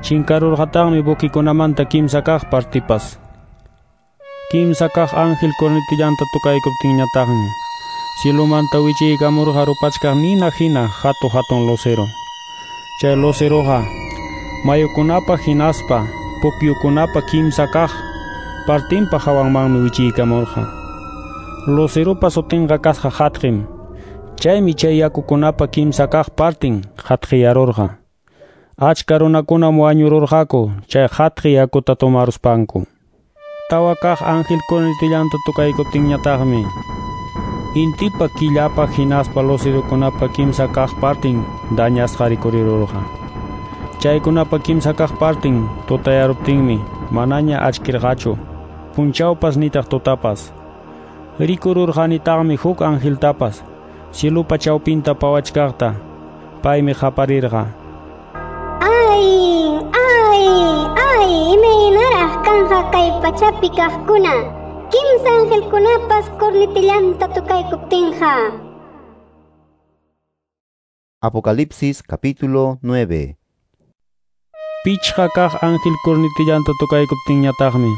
Chinkarurqataqmi buquikunamanta kimsa kaq partipas. Kimsa kaq ángel cornetillanta tocaykuptinñataqmi cielomanta wichiykamurqa rupachkaq nina hina hatu hatun lucero. Chay luceroqa mayukunapa hinaspa pukyukunapa kimsa kaq partinpa hawanmanmi wichiykamurqa. Luceropa sutinqa kasqa hatqim. Chaymi chay yakukunapa kimsa kaq partin hatqiyarurqa. Achka runakunam wañururqaku chay hatqi yakuta tomaruspanku. Tawa kaq ángel cornetillanta tocaykuptinñataqmi Intipa killapa hinaspa lucerokunapa kimsa kaq partin dañasqa rikurirurqa. Chaykunapa kimsa kaq partin tutayaruptinmi manaña achkirqachu, punchawpas nitaq tutapas. Rikururqanitaqmi huk angeltapas cielupa chawpinta pawachkaqta. Paymi qaparirqa:
Ay, ay, ay, imaynaraq kanqa kay pachapi kaqkuna, kimsa angelkunapas cornetillanta tukaykuptinqa.
Apocalipsis capítulo nueve.
Pichqa kaq ángel cornetillanta tukaykuptinñataqmi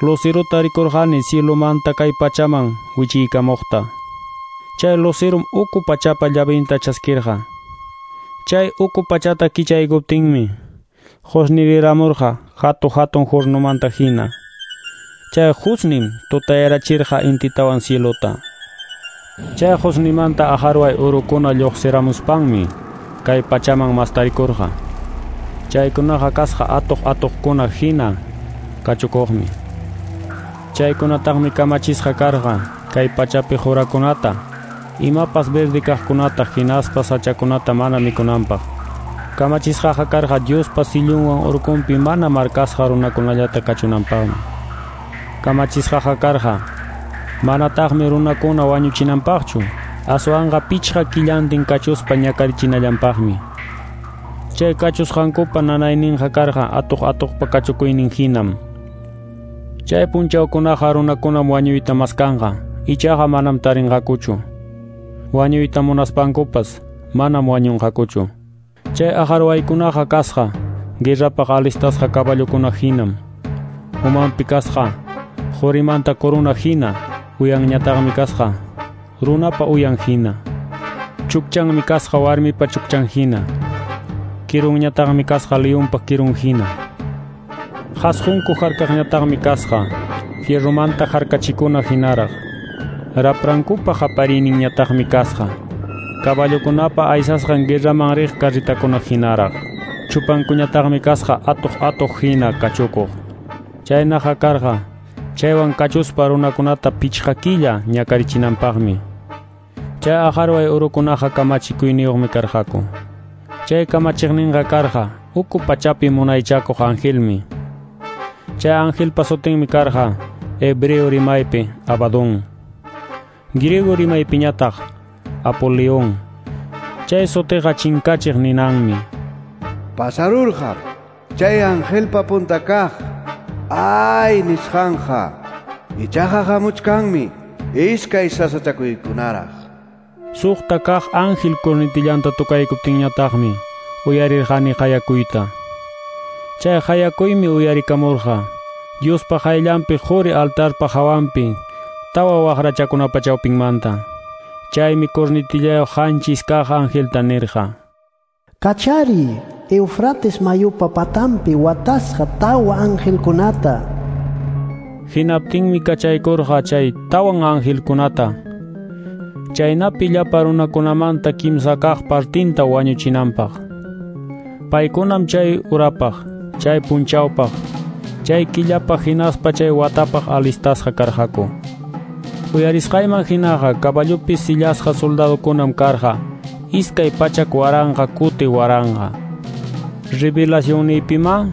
lucerota rikurqani cielomanta kay pachaman wichiykamuqta. Chay lucerum uku pachapa llavinta chaskirqa. Chay uku pachata kichaykuptinmi qusniriramurqa hatu hatun hornomanta hina. Chay qusnim tutayarachirqa intitawan cielota. Chay qusnimanta aqarway urukuna lluqsiramuspanmi kay pachaman mastarikurqa. Chaykunaqa kasqa atuq atuqkuna hina kachukuqmi. Chaykunataqmi kamachisqa karqa kay pachapi qurakunata, imapas verde kaqkunata hinaspa sachakunata mana mikunanpaq. Kamachisqaqa karqa Diospa sillunwan urkunpi mana markasqa runakunallata kachunanpaqmi. Kamachisqaqa karqa manataqmi runakuna wañuchinanpaqchu, aswanqa pichqa killantin kachuspa ñakarichinallanpaqmi. Chay kachusqankupa nanayninqa karqa atuq atuqpa kachukuynin hinam. Chay punchawkunaqa runakunam wañuyta maskanqa, ichaqa manam tarinqakuchu. Wañuyta munaspankupas manam wañunqakuchu. Chay aqarwaykunaqa kasqa guerrapaq alistasqa caballokuna hinam. Umanpi kasqa qurimanta corona hina, uyanñataqmi kasqa runapa uyan hina. Chukchanmi kasqa warmipa chukchan hina. Kirunñataqmi kasqa leonpa kirun hina. Qasqunku harkaqñataqmi kasqa fierromanta harkachikuna hinaraq. Raprankupa qapariyninñataqmi kasqa caballokunapa aysasqan guerraman riq carritakuna hinaraq. Chupankuñataqmi kasqa atuq atuq hina kachukuq. Chaynaqa karqa chaywan kachuspa runakunata pichqa killa ñakarichinanpaqmi. Chay aqarway urukunaqa kamachikuyniyuqmi karqaku. Chay kamachiqninqa karqa uku pachapi munaychakuq angelmi. Chay angelpa sutinmi karqa hebreo rimaypi Abadón, griego rimaypiñataq Apolión. Chay sutiqa chinkachiq ninanmi.
Pasarurqa chay angelpa punta kaq ay nisqanqa, ichaqa hamuchkanmi iskay sasachakuykunaraq.
Suqta kaq ángel cornetillanta tukaykuptinñataqmi uyarirqani qayakuyta. Chay qayakuymi uyarikamurqa Diospa qayllanpi quri altarpa hawanpi tawa waqrachakunapa chawpinmanta. Chaymi cornetillayuq qanchis kaq angelta nirqa:
Kachari Eufrates mayupa patampi watasqa tawa angelkunata.
Hinaptinmi kachaykurqa chay tawan angelkunata, chaynapi llapa runakunamanta kimsa kaq partinta wañuchinanpaq. Paykunam chay urapaq, chay punchawpaq, chay killapaq hinaspa chay watapaq alistasqa karqaku. Uyarisqayman hinaqa caballopi sillasqa soldadokunam karqa iskay pachak waranqa kuti waranqa. Revelacionniypima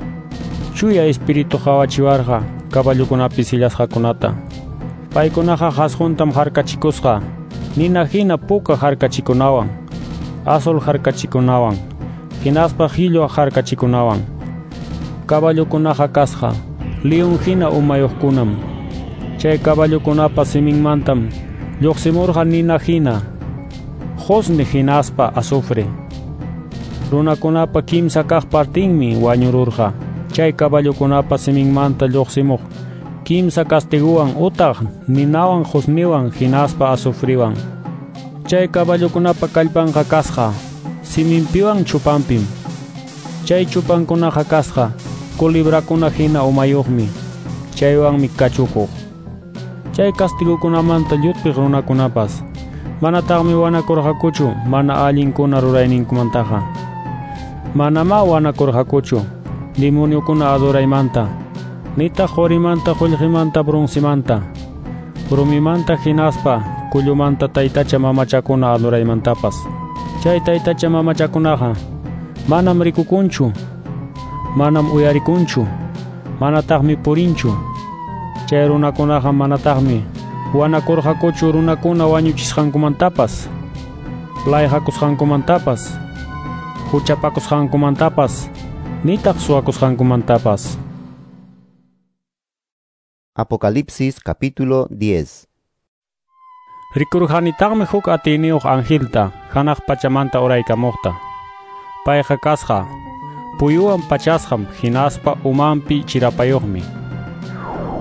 chuya espíritu qawachiwarqa caballokunapi sillasqakunata. Paykunaqa qasquntam harkachikusqa nina hina puka harkachikunawan, azul harkachikunawan, hinaspa qillu harkachikunawan. Caballokunaqa kasqa leon hina umayuqkunam. Chay caballokunapa siminmantam lluqsimurqa nina hina, qusni hinaspa azufre. Runakunapa kimsa kaq partinmi wañururqa chay caballokunapa siminmanta lluqsimuq kimsa castiguwan utaq ninawan qusniwan hinaspa azufriwan. Chay caballokunapa kallpanqa kasqa siminpiwan chupanpim. Chay chupankunaqa kasqa culebrakuna hina umayuqmi, chaywanmi kachukuq. Chay castigukunamanta llutpiq runakunapas manataqmi wanakurqakuchu mana allinkuna rurayninkumantaqa. Manamá wanakurqakuchu demoniokuna adoraymanta, nitaq qurimanta, qullqimanta, broncemanta, rumimanta hinaspa kullumanta taytacha mamachakuna adoraymantapas. Chay taytacha mamachakunaqa manam rikukunchu, manam uyarikunchu, manataqmi purinchu. Chay runakunaqa manataqmi wanakurqakuchu runakuna wañuchisqankumantapas, layqakusqankumantapas, huchapakusqankumantapas, nitaq suwakusqankumantapas.
Apocalipsis capítulo diez.
Rikurqanitaqmi huk atiyniyuq angelta hanaq pachamanta uraykamuqta. Payqa kasqa puyuwan pachasqam hinaspa umanpi chirapayuqmi.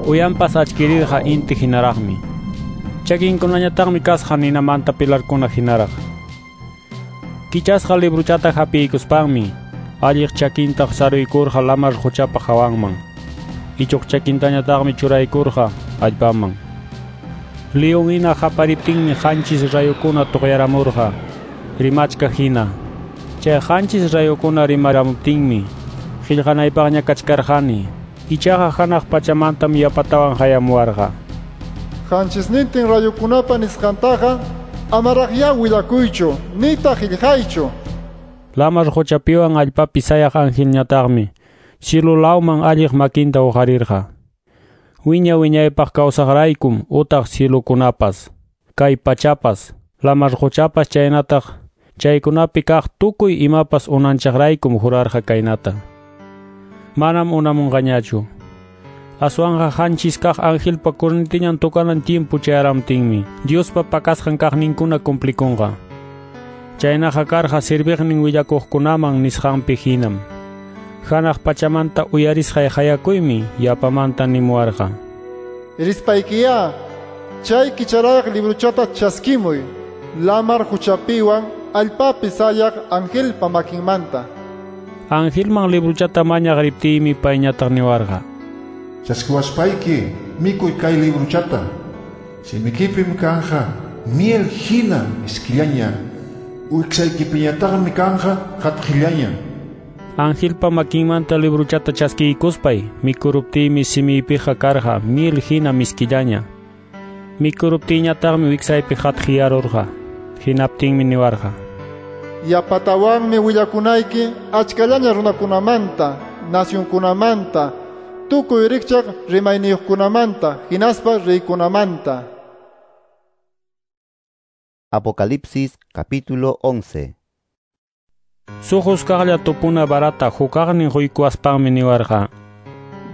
Uyanpas achkirirqa inti hinaraqmi. Chakinkunañataqmi kasqa ninamanta pilarkuna hinaraq. Kichasqa libruchata hapiykuspanmi alliq chakintaq saruykurqa lamar quchapa hawanman. Ichuq chakintañataqmi churaykurqa allpaman. León hina hapariptinmi qanchis rayukuna tuqyaramurqa rimachka hina. Chay qanchis rayukuna rimaramuptinmi qillqanaypaqña kachkarqani. Ichaqa hanaq pachamantam yapatawan hayamuwarqa.
Qanchisnintin rayukunapa nisqantaqa amaraqya willakuychu nitaq qillqaychu.
Lamar quchapiwan allpapi sayaq angelñataqmi cielo lawman alliq makinta uqarirqa. Wiña wiñaypaq kawsaqraykum utaq cielokunapas, kay pachapas, lamar quchapas chaynataq chaykunapi kaq tukuy imapas unanchaqraykum jurarqa kaynata. Manam unamunqañachu. Aswanqa qanchis kaq angelpa cornetiñan tocanan tiempo chayaramtinmi Diospa pakasqan kaqninkuna cumplikunqa. Chaynaqa karqa serviqnin willakuqkunaman nisqanpi hinam. Hanaq pachamanta uyarisqay hayakuymi yapamanta nimuwarqa.
Rispaykiya, chay kicharayaq libruchata chaskimuy, lamar huchapiwan allpapi sayaq angelpa makinmanta.
Angelman libruchata mañaq riptiymi payñataq niwarqa.
Chaskiwaspayki mikuy kay libruchata, simikipim kanja miel hina miskillaña, wiksaykipiñataqmi kanja qatqillaña.
Angelpa makinmanta libruchata chaskiykuspay mikuruptiymi simiypiqa karqa miel hina miskillaña. Mikuruptiyñataqmi wiksaypi qatqiyarurqa. Hinaptinmi niwarqa.
Yapatawanmi willakunayki achkallaña runakunamanta, nacionkunamanta, tukuy rikchaq rimayniyuqkunamanta, hinaspa reykunamanta.
Apocalipsis capítulo once.
Suqusqaqlla tupuna barata hukaqnin huykuwaspanmi niwarqa.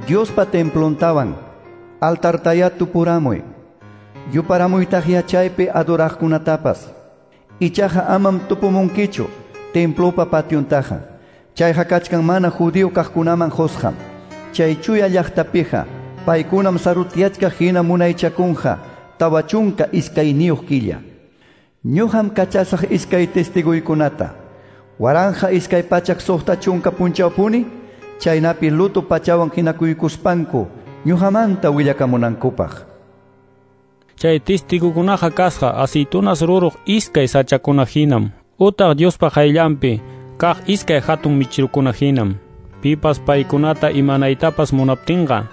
Diospa templontawan altartaya tupuramuy, yuparamuytaq yachaypi adoraqkunatapas. Ichaqa amam tupumunkichu templopa pationtaqa. Chayqa kachkan mana judío kaqkunaman qusqam. Chay chuya llaqtapiqa paykunam sarutyachkaq hina munaychakunqa tawa chunka iskayniyuq killa. Ñuqam kachasaq iskay testiguykunata. Waranja iskay pachak suqta chunka punchawpuni, chaynapi luto pachawan hinakuykuspanku ñuqamanta willakamunankupaq.
Chay testigukunaqa kasqa aceitunas ruruq iskay sachakuna hinam, utaq Diospa qayllanpi kaq iskay hatun michirukuna hinam. Pipas paykunata imanaytapas munaptinqa,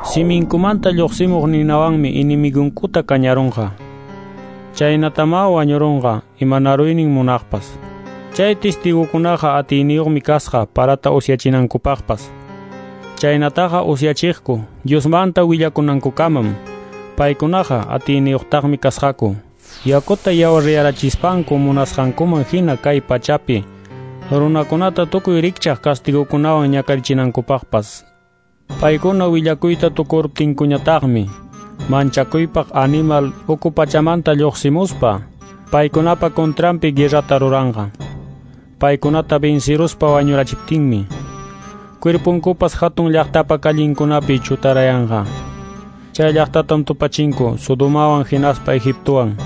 siminkumanta lluqsimuq ninawanmi inimigunkuta kañarunqa. Chaynatama wañurunqa imanaruynin munaqpas. Chay testigukunaqa atiyniyuqmi kasqa parata usyachinankupaqpas. Chaynataqa usyachiqku Diosmanta willakunankukamam. Paykunaqa atiyniyuqtaqmi kasqaku. Yakuta yawariyarachispanku munasqankuman hina kay pachapi runakunata tukuy rikchaq castigukunawan ñakarichinankupaqpas. Paykuna willakuyta tukuruptinkuñataqmi manchakuypaq animal uku pachamanta lluqsimuspa paykunapa contranpi guerrata ruranqa. Paykunata venciruspa wañurachiptinmi cuerpunkupas hatun llaqtapa callinkunapi chutarayanqa. Chay llaqtatam tupachinku Sodomawan hinaspa Egiptowan.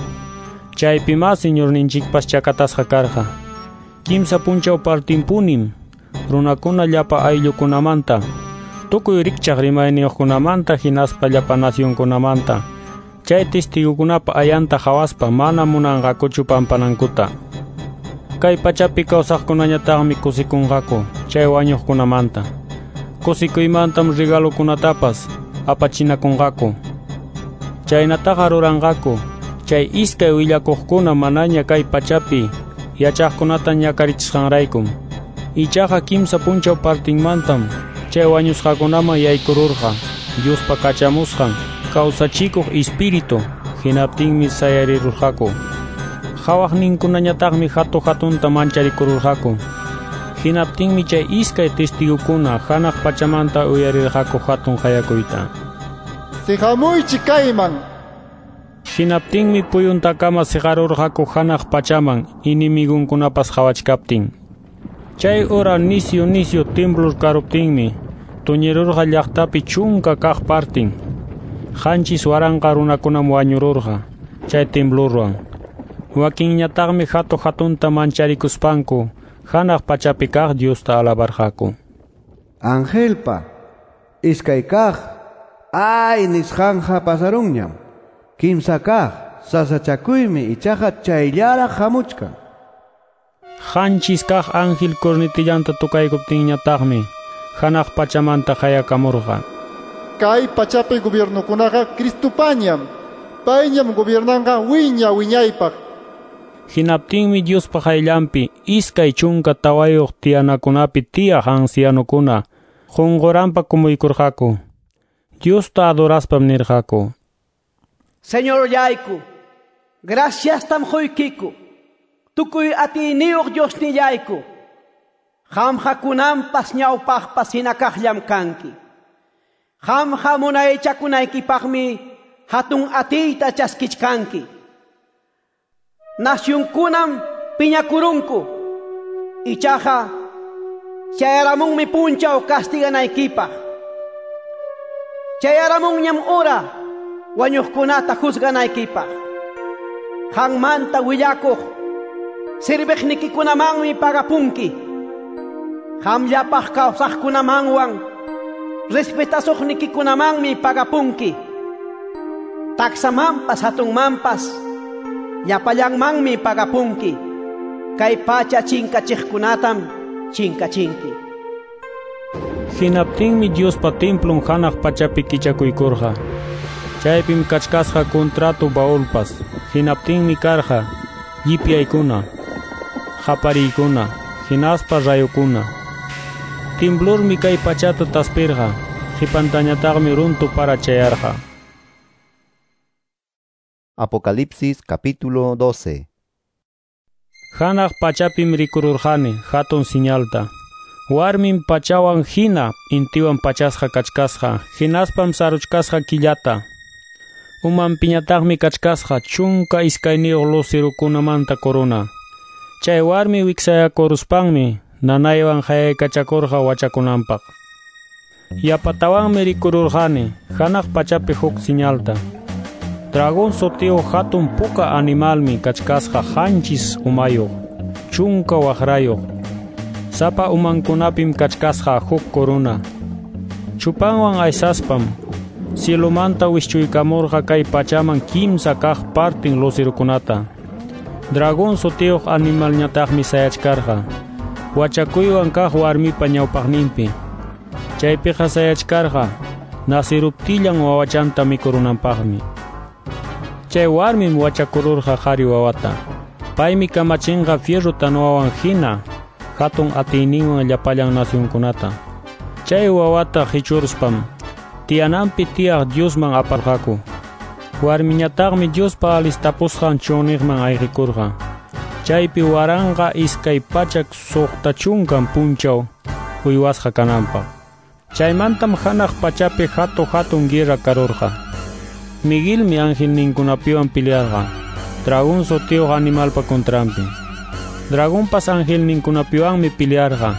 Chaypima Señorninchikpas chakatasqa karqa. Kimsa punchaw partinpunim runakuna llapa ayllukunamanta, tukuy rikchaq rimayniyuqkunamanta hinaspa llapa nacionkunamanta chay testigukunapa ayanta hawaspa mana munanqakuchu pampanankuta. Kay pachapi kawsaqkunañataqmi kusikunqaku chay wañuqkunamanta. Kusikuymantam regalokunatapas apachinakunqaku. Chaynataqa ruranqaku Chay iskay willakuqkuna manaña kay pachapi yachaqkunata ñakarichisqanraykum. Ichaqa kimsa punchaw partinmantam chay wañusqakunaman yaykururqa Diospa kachamusqan kawsachikuq espíritu, hinaptinmi sayarirurqaku. Qhawaqninkunañataqmi hatu hatunta mancharikururqaku. Hinaptinmi chay iskay testigokuna hanaq pachamanta uyarirqaku hatun qayakuyta.
Siqamuychik kayman.
Hinaptinmi puyuntakama siqarurqaku hanaq pachaman inimigunkunapas qhawachkaptin. Chay hora nisyu nisyu temblor karuptinmi tuñirurqa llaqtapi chunka kaq partin. Qanchis waranqa runakunam wañururqa chay temblorwan. Wakinñataqmi hatu hatunta mancharikuspanku hanaq pachapi kaq Diosta alabarqaku.
Angelpa iskay kaq ay nisqanja pasarunñam. Kimsa kaq sasachakuymi ichaqa chayllaraq hamuchkan.
Qanchis kaq ángel cornetillanta tukaykuptinñataqmi hanaq pachamanta qayakamurqa.
Kay pachapi gobiernokunaqa Cristopañam. Payñam gobiernanqa wiña wiñaypaq.
Hinaptinmi Diospa qayllanpi iskay chunka tawayuq tiyanakunapi tiyaq ancianokuna qunquranpa kumuykurqaku. Diosta adoraspam nirqaku:
Señorllayku, graciastam quykiku. Tukuy atiyniyuq Diosnillayku. Qamqa kunanpas ñawpaqpas hina kaqllam kanki. Qamqa munaychakunaykipaqmi hatun atiyta chaskichkanki. Nasyunkunam piñakurunku. Ichaqa chayaramunmi punchaw kastiganaykipaq. Chayaramunñam hora wañuqkunata juzganaykipaq. Qanmanta willakuq sirviqnikikunamanmi pagapunki. Qamllapaq kawsaqkunamanwan respetasuqnikikunamanmi pagapunki. Taksamanpas hatunmanpas llapallanmanmi pagapunki. Kay pacha chinkachiqkunatam chinkachinki.
Hinaptinmi Diospa templon hanaq pachapi kichakuykurqa. Chaypim kachkasqa contrato baúlpas. Hinaptinmi karqa llipyaykuna, qapariykuna, hinaspa rayukuna. Temblormi kay pachata taspirqa, qipantañataqmi runtu para chayarqa.
Apocalipsis capítulo doce.
Hanaq pachapim rikururqani hatun señalta. Warmin pachawan hina intiwan pachasqa kachkasqa, hinaspam saruchkasqa killata. Umanpiñataqmi kachkasqa chunka iskayniyuq lucerokunamanta corona. Chay warmi wiksayakuruspanmi nanaywan qayaykachakurqa wachakunanpaq. Yapatawanmi rikururqani hanaq pachapi huk señalta. Dragón sutiyuq hatun puka animalmi kachkasqa qanchis umayuq, chunka waqrayuq. Sapa umankunapim kachkasqa huk corona. Chupanwan aysaspam cielomanta wischuykamurqa kay pachaman kimsa kaq partin lucerokunata. Dragón sutiyuq animalñataqmi sayachkarqa wachakuywan kaq warmipa ñawpaqninpi. Chaypiqa sayachkarqa nasiruptillan wawachanta mikurunanpaqmi. Chay warmim wachakururqa qhari wawata. Paymi kamachinqa fierro tanwawan hina hatun atiyninwan llapallan nacionkunata. Chay wawata qichuruspam tiyananpi tiyaq Diosman aparqaku. Warmiñataqmi Diospa alistapusqan chunniqman ayqikurqa. Chaypi waranqa iskay pachak suqta chunkan punchaw uywasqa kananpaq. Chaymantam hanaq pachapi hatu hatun guerra karurqa. Miguelmi angelninkunapiwan pelearqa dragón sutiyuq animalpa contranpi. Dragonpas angelninkunapiwanmi pelearqa.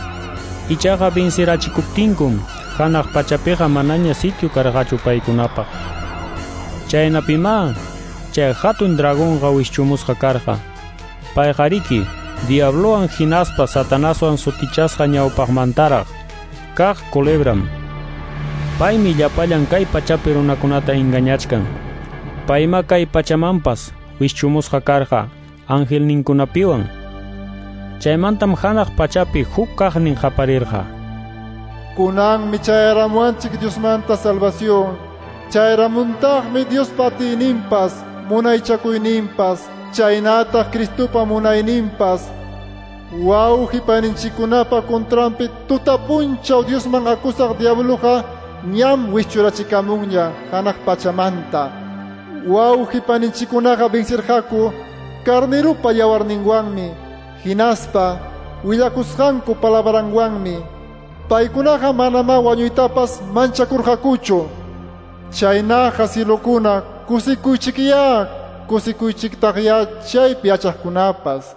Ichaqa vencirachikuptinkum hanaq pachapiqa manaña sitio karqachu paykunapaq. Chaynapimá chay hatun dragonqa wischumusqa karqa. Payqariki diablowan hinaspa Satanaswan sutichasqa ñawpaqmantaraq kaq culebram. Paymi llapallan kay pachapi runakunata engañachkan. Payma kay pachamanpas wischumusqa karqa angelninkunapiwan. Chaymantam hanaq pachapi huk kaqnin qaparirqa.
Kunanmi chayaramuanchik Diosmanta salvación. Chayaramuntaqmi Diospa atiyninpas, munaychakuyninpas, chaynataq Cristopa munayninpas, wawqi paninchikkunapa contranpi tutapunchaw Diosman acusaq diabluqa ñam wischurachikamunña hanaq pachamanta. Wawqi paninchikkunaqa vencirqaku carnerupa yawarninwanmi, hinaspa willakusqanku palabranwanmi. Paykunaqa manamá wañuytapas manchakurqakuchu. Chaynaqa cielokuna kusikuychikyá, kusikuychiktaqyá chaypi yachaqkunapas.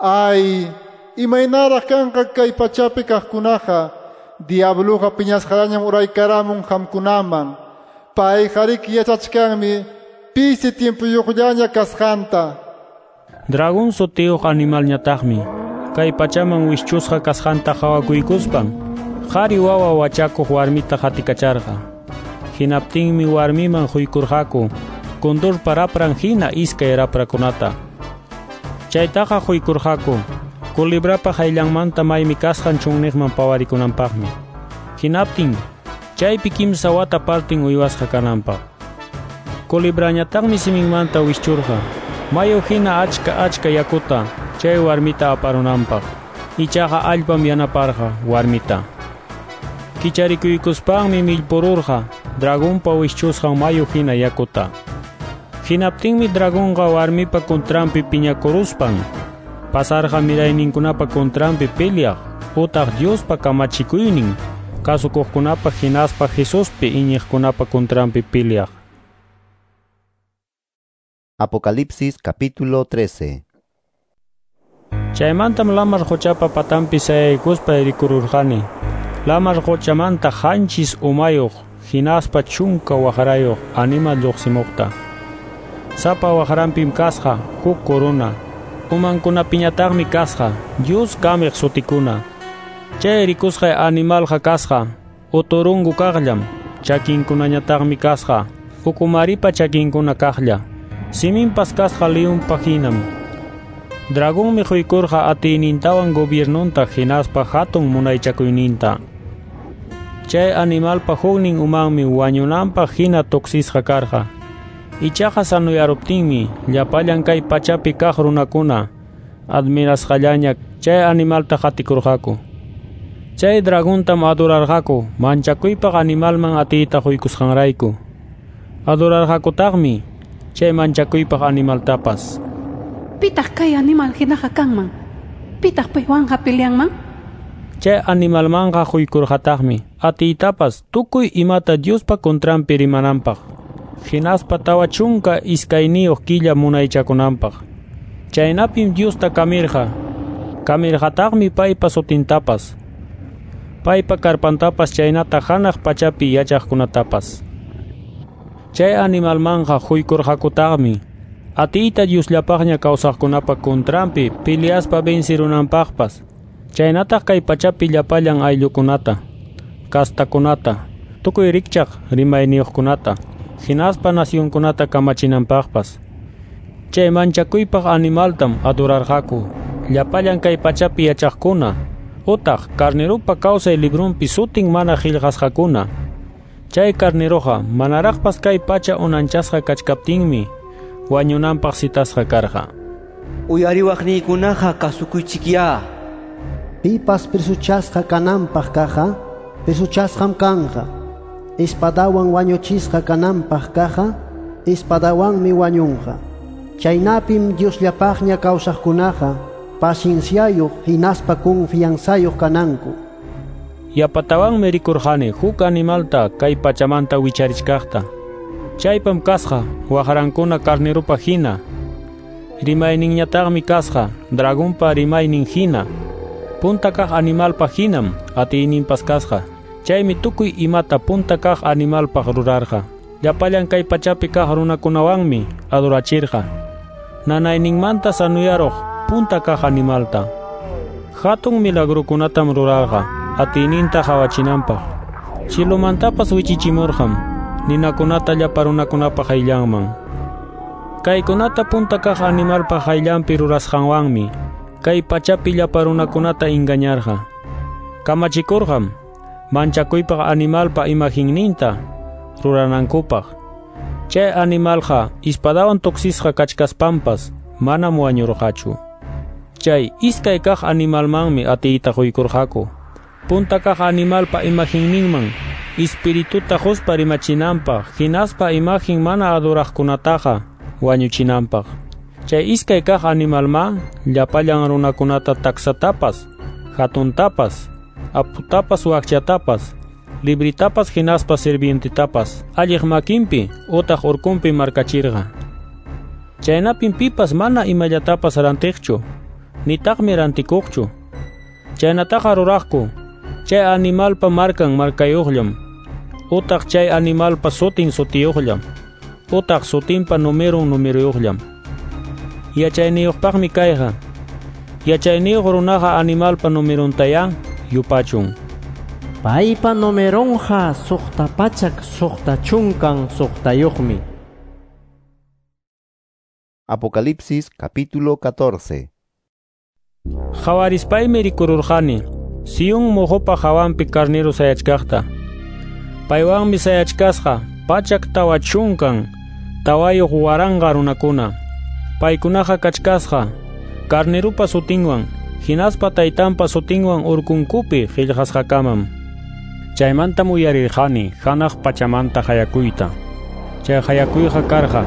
Ay, imaynaraq kanqa kay pachapi kaqkunaqa, diabluqa piñasqallañam uraykaramun qamkunaman. Payqariki yachachkanmi pisi tiempuyuqllaña kasqanta.
Dragón sutiyuq animalñataqmi kay pachaman wischusqa kasqanta qhawakuykuspan qhari wawa wachakuq warmita qatikacharqa. Hinaptinmi warmiman huykurqaku kundurpa rapran hina iskay raprakunata. Chaytaqa huykurqaku kulibrapa hayllanmanta maymi kasqan chunniqman pawarikunanpaqmi. Hinaptin chaypi kimsa wata partin uywasqa kananpaq. Kulibrañataqmi siminmanta wischurqa mayu hina achka achka yakuta chay warmita aparunanpaq. Ichaqa allpam yanaparqa warmita. Kicharikuykuspanmi millpururqa dragonpa wischusqan mayu hina yakuta. Hinaptinmi dragonqa warmipa contranpi piñakuruspan pasarqa mirayninkunapa contranpi peleaq utaq Diospa kamachikuynin kasukuqkunapa hinaspa Jesuspi iñiqkunapa contranpi peleaq.
Apocalipsis capítulo trece.
Chaymantam lamar quchapa patanpi sayaykuspa rikururqani. Lamar quchamanta qanchis umayuq hinaspa chunka waqrayuq animal lluqsimuqta. Sapa waqranpim kasqa huk corona, umankunapiñataqmi kasqa Dios kamiq sutikuna. Chay rikusqay animalqa kasqa uturungu kaqllam, chakinkunañataqmi kasqa ukumaripa chakinkuna kaqlla. Siminpas kasqa leonpa hinam. Dragonmi huykurqa atiynintawan gobiernonta hinaspa hatun munaychakuyninta. Chay animalpa huknin umanmi wañunanpaq hina tuksisqa karqa. Ichaqa sanuyaruptinmi llapallan kay pachapi kaq runakuna admirasqallaña chay animalta qatikurqaku. Chay dragontam adorarqaku manchakuypaq animalman atiyta huykusqanrayku. Adorarqakutaqmi chay manchakuypaq animaltapas.
Pitaq kay animal hinaqa kanman? Pitaq paywanqa peleanman?
Chay animalmanqa huykurqataqmi atiytapas tukuy imata Diospa contranpi rimananpaq, hinaspa tawa chunka iskayniyuq killa munaychakunanpaq. Chaynapim Diosta kamirqa, kamirqataqmi paypa sutintapas, paypa karpantapas chaynata hanaq pachapi yachaqkunatapas. Chay animalmanqa huykurqakutaqmi atiyta Diosllapaqña kawsaqkunapa contranpi peleaspa vencirunanpaqpas, chaynataq kay pachapi llapallan ayllukunata, kastakunata, tukuy rikchaq rimayniyuqkunata, hinaspa nacionkunata kamachinanpaqpas. Chay manchakuypaq animaltam adorarqaku llapallan kay pachapi yachaqkuna, utaq carnerupa kawsay librunpi sutin mana qillqasqakuna. Chay carneruqa manaraqpas kay pacha unanchasqa kachkaptinmi wañunanpaq citasqa karqa.
Uyariwaqniykunaqa kasukuychikyá.
Pipas presuchasqa kananpaq kaqqa, presuchasqam kanqa. Espadawan wañuchisqa kananpaq kaqqa, espadawanmi wañunqa. Chaynapim Diosllapaqña kawsaqkunaqa pacienciayuq hinaspa confianzayuq kananku.
Yapatawanmi rikurqani huk animalta kay pachamanta wicharichkaqta. Chaypam kasqa waqrankuna carnerupa hina, rimayninñataqmi kasqa dragonpa rimaynin hina. Punta kaq animalpa hinam atiyninpas kasqa. Chaymi tukuy imata punta kaq animalpaq rurarqa. Llapallan kay pachapi kaq runakunawanmi adorachirqa. Nanayninmanta sanuyaruq punta kaq animalta. Hatun milagrukunatam rurarqa atiyninta qhawachinanpaq. Cilumantapas wichichimurqam ninakunata llapa runakunapa hayllanman. Kaykunata punta kaq animalpa hayllanpi rurasqanwanmi kay pachapi llapa runakunata engañarqa. Kamachikurqam manchakuypaq animalpa imaginninta ruranankupaq. Chay animalqa ispadawan tuksisqa kachkaspanpas manam wañurqachu. Chay iskay kaq animalmanmi atiyta quykurqaku. Punta kaq animalpa imaginninman espirituta quspa rimachinanpaq, hinaspa imagen mana adoraqkunataqa wañuchinanpaq. Chay iskay kaq animalma llapallan runakunata taksatapas, hatuntapas, aputapas wakchatapas, libritapas hinaspa sirvientetapas alliq makinpi utaq urkunpi markachirqa. Chaynapim pipas mana imallatapas rantiqchu, nitaqmi rantikuqchu. Chaynataqa ruraqku chay animalpa markan markayuqllam, utaq chay animalpa sutin sutiyuqllam, utaq sutinpa numerun numeruyuqllam. Yachayniyuqpaqmi kayqa. Yachayniyuq runaqa animalpa numeruntaya yupachun.
Paypa numerunqa suqta pachak suqta chunkan suqtayuqmi.
Apocalipsis capítulo catorce.
Qhawarispaymi rikururqani Sion moqopa hawanpi carnero sayachkaqta. Paywanmi sayachkasqa pachak tawa chunkan tawayuq waranqa runakuna. Paykunaqa kachkasqa carnerupa sutinwan hinaspa taytanpa sutinwan urkunkupi qillqasqakamam. Chaymantam uyarirqani hanaq pachamanta hayakuyta. Chay hayakuyqa karqa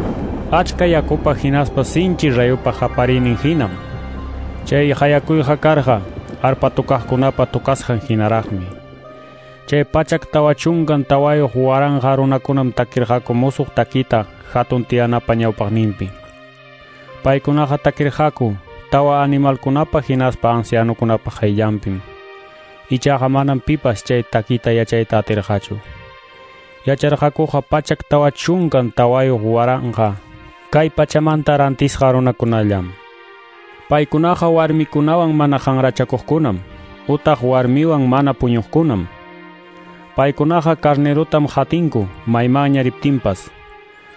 achka yakupa hinaspa sinchi rayupa qapariynin hinam. Chay hayakuyqa karqa arpa tukaqkunapa tukasqan hinaraqmi. Chay pachak tawa chunkan tawayuq waranqa runakunam takirqaku musuq takita hatun tiyanapa ñawpaqninpi. Paykunaqa takirqaku tawa animalkunapa hinaspa ancianukunapa qayllanpim. Ichaqa manam pipas chay takita yachayta atirqachu. Yacharqakuqa pachak tawa chunkan tawayuq waranqa kay pachamanta rantisqa runakunallam. Paykunaqa warmikunawan mana qanrachakuqkunam, utaq warmiwan mana puñuqkunam. Paykunaqa carnerutam hatinku maymanña riptinpas.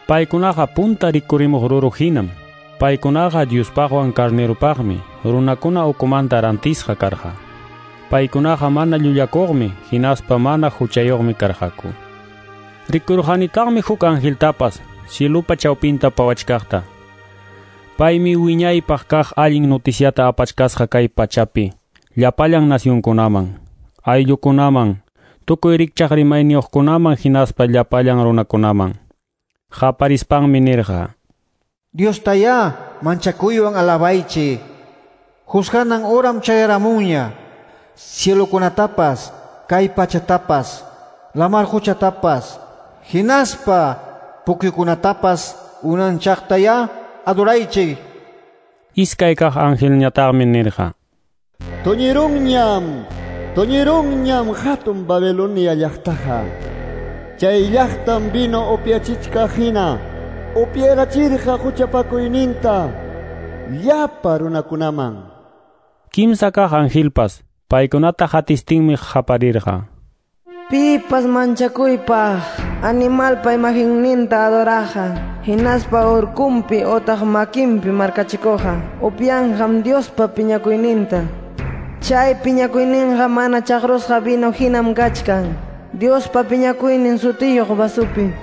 Paykunaqa punta rikurimuq ruru hinam. Paykunaqa Diospaqwan carnerupaqmi runakuna ukumanta rantisqa karqa. Paykunaqa mana llullakuqmi hinaspa mana huchayuqmi karqaku. Rikurqanitaqmi huk angeltapas cielupa chawpinta pawachkaqta. Paymi wiñaypaq kaq allin noticiata apachkasqa kay pachapi llapallan nacionkunaman, ayllukunaman, tukuy rikchaq rimayniyuqkunaman hinaspa llapallan runakunaman. Qaparispanmi nirqa:
Diostayá manchakuywan alabaychik. Juzganan horam chayaramunña. Cielokunatapas, kay pachatapas, lamar quchatapas, hinaspa pukyukunatapas unanchaqtayá adoraychik.
Iskay kaq angelñataqmi nirqa:
Tuñirunñam, tuñirunñam hatun Babilonia llaqtaqa. Chay llaqtam vino upyachichkaq hina upyarachirqa huchapakuyninta llapa runakunaman.
Kimsa kaq angelpas paykunata hatistinmi qaparirqa:
Pipas manchakuypaq animalpa imagenninta adoraqa, hinaspa urkunpi otaq makinpi markachikuqa, upyanqam Diospa piñakuyninta. Chay piñakuyninqa mana chaqrusqa vino hinam kachkan, Diospa piñakuynin sutiyuq vasupi.